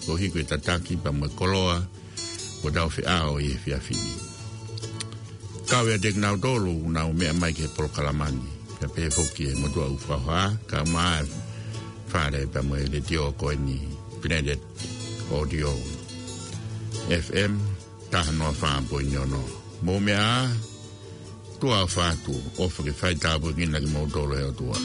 koeʻuhi ko e tataki pea mo e koloa, kuo tau feʻao ʻi he efiafi ni. Kau ʻiate kinautolu ʻoku nau meʻa mai ki he polokalama ni, pea pehē foki e motuʻa ʻoku fakahoha, kae ʻumaʻā e fale pea mo e letiō ko eni, Planet Audio, F M, taha noa fā poini ono. Mou meʻa ā, tuʻa ʻofa atu, ʻofa ke fai tāpuekina kimoutolu ʻe he ʻOtua.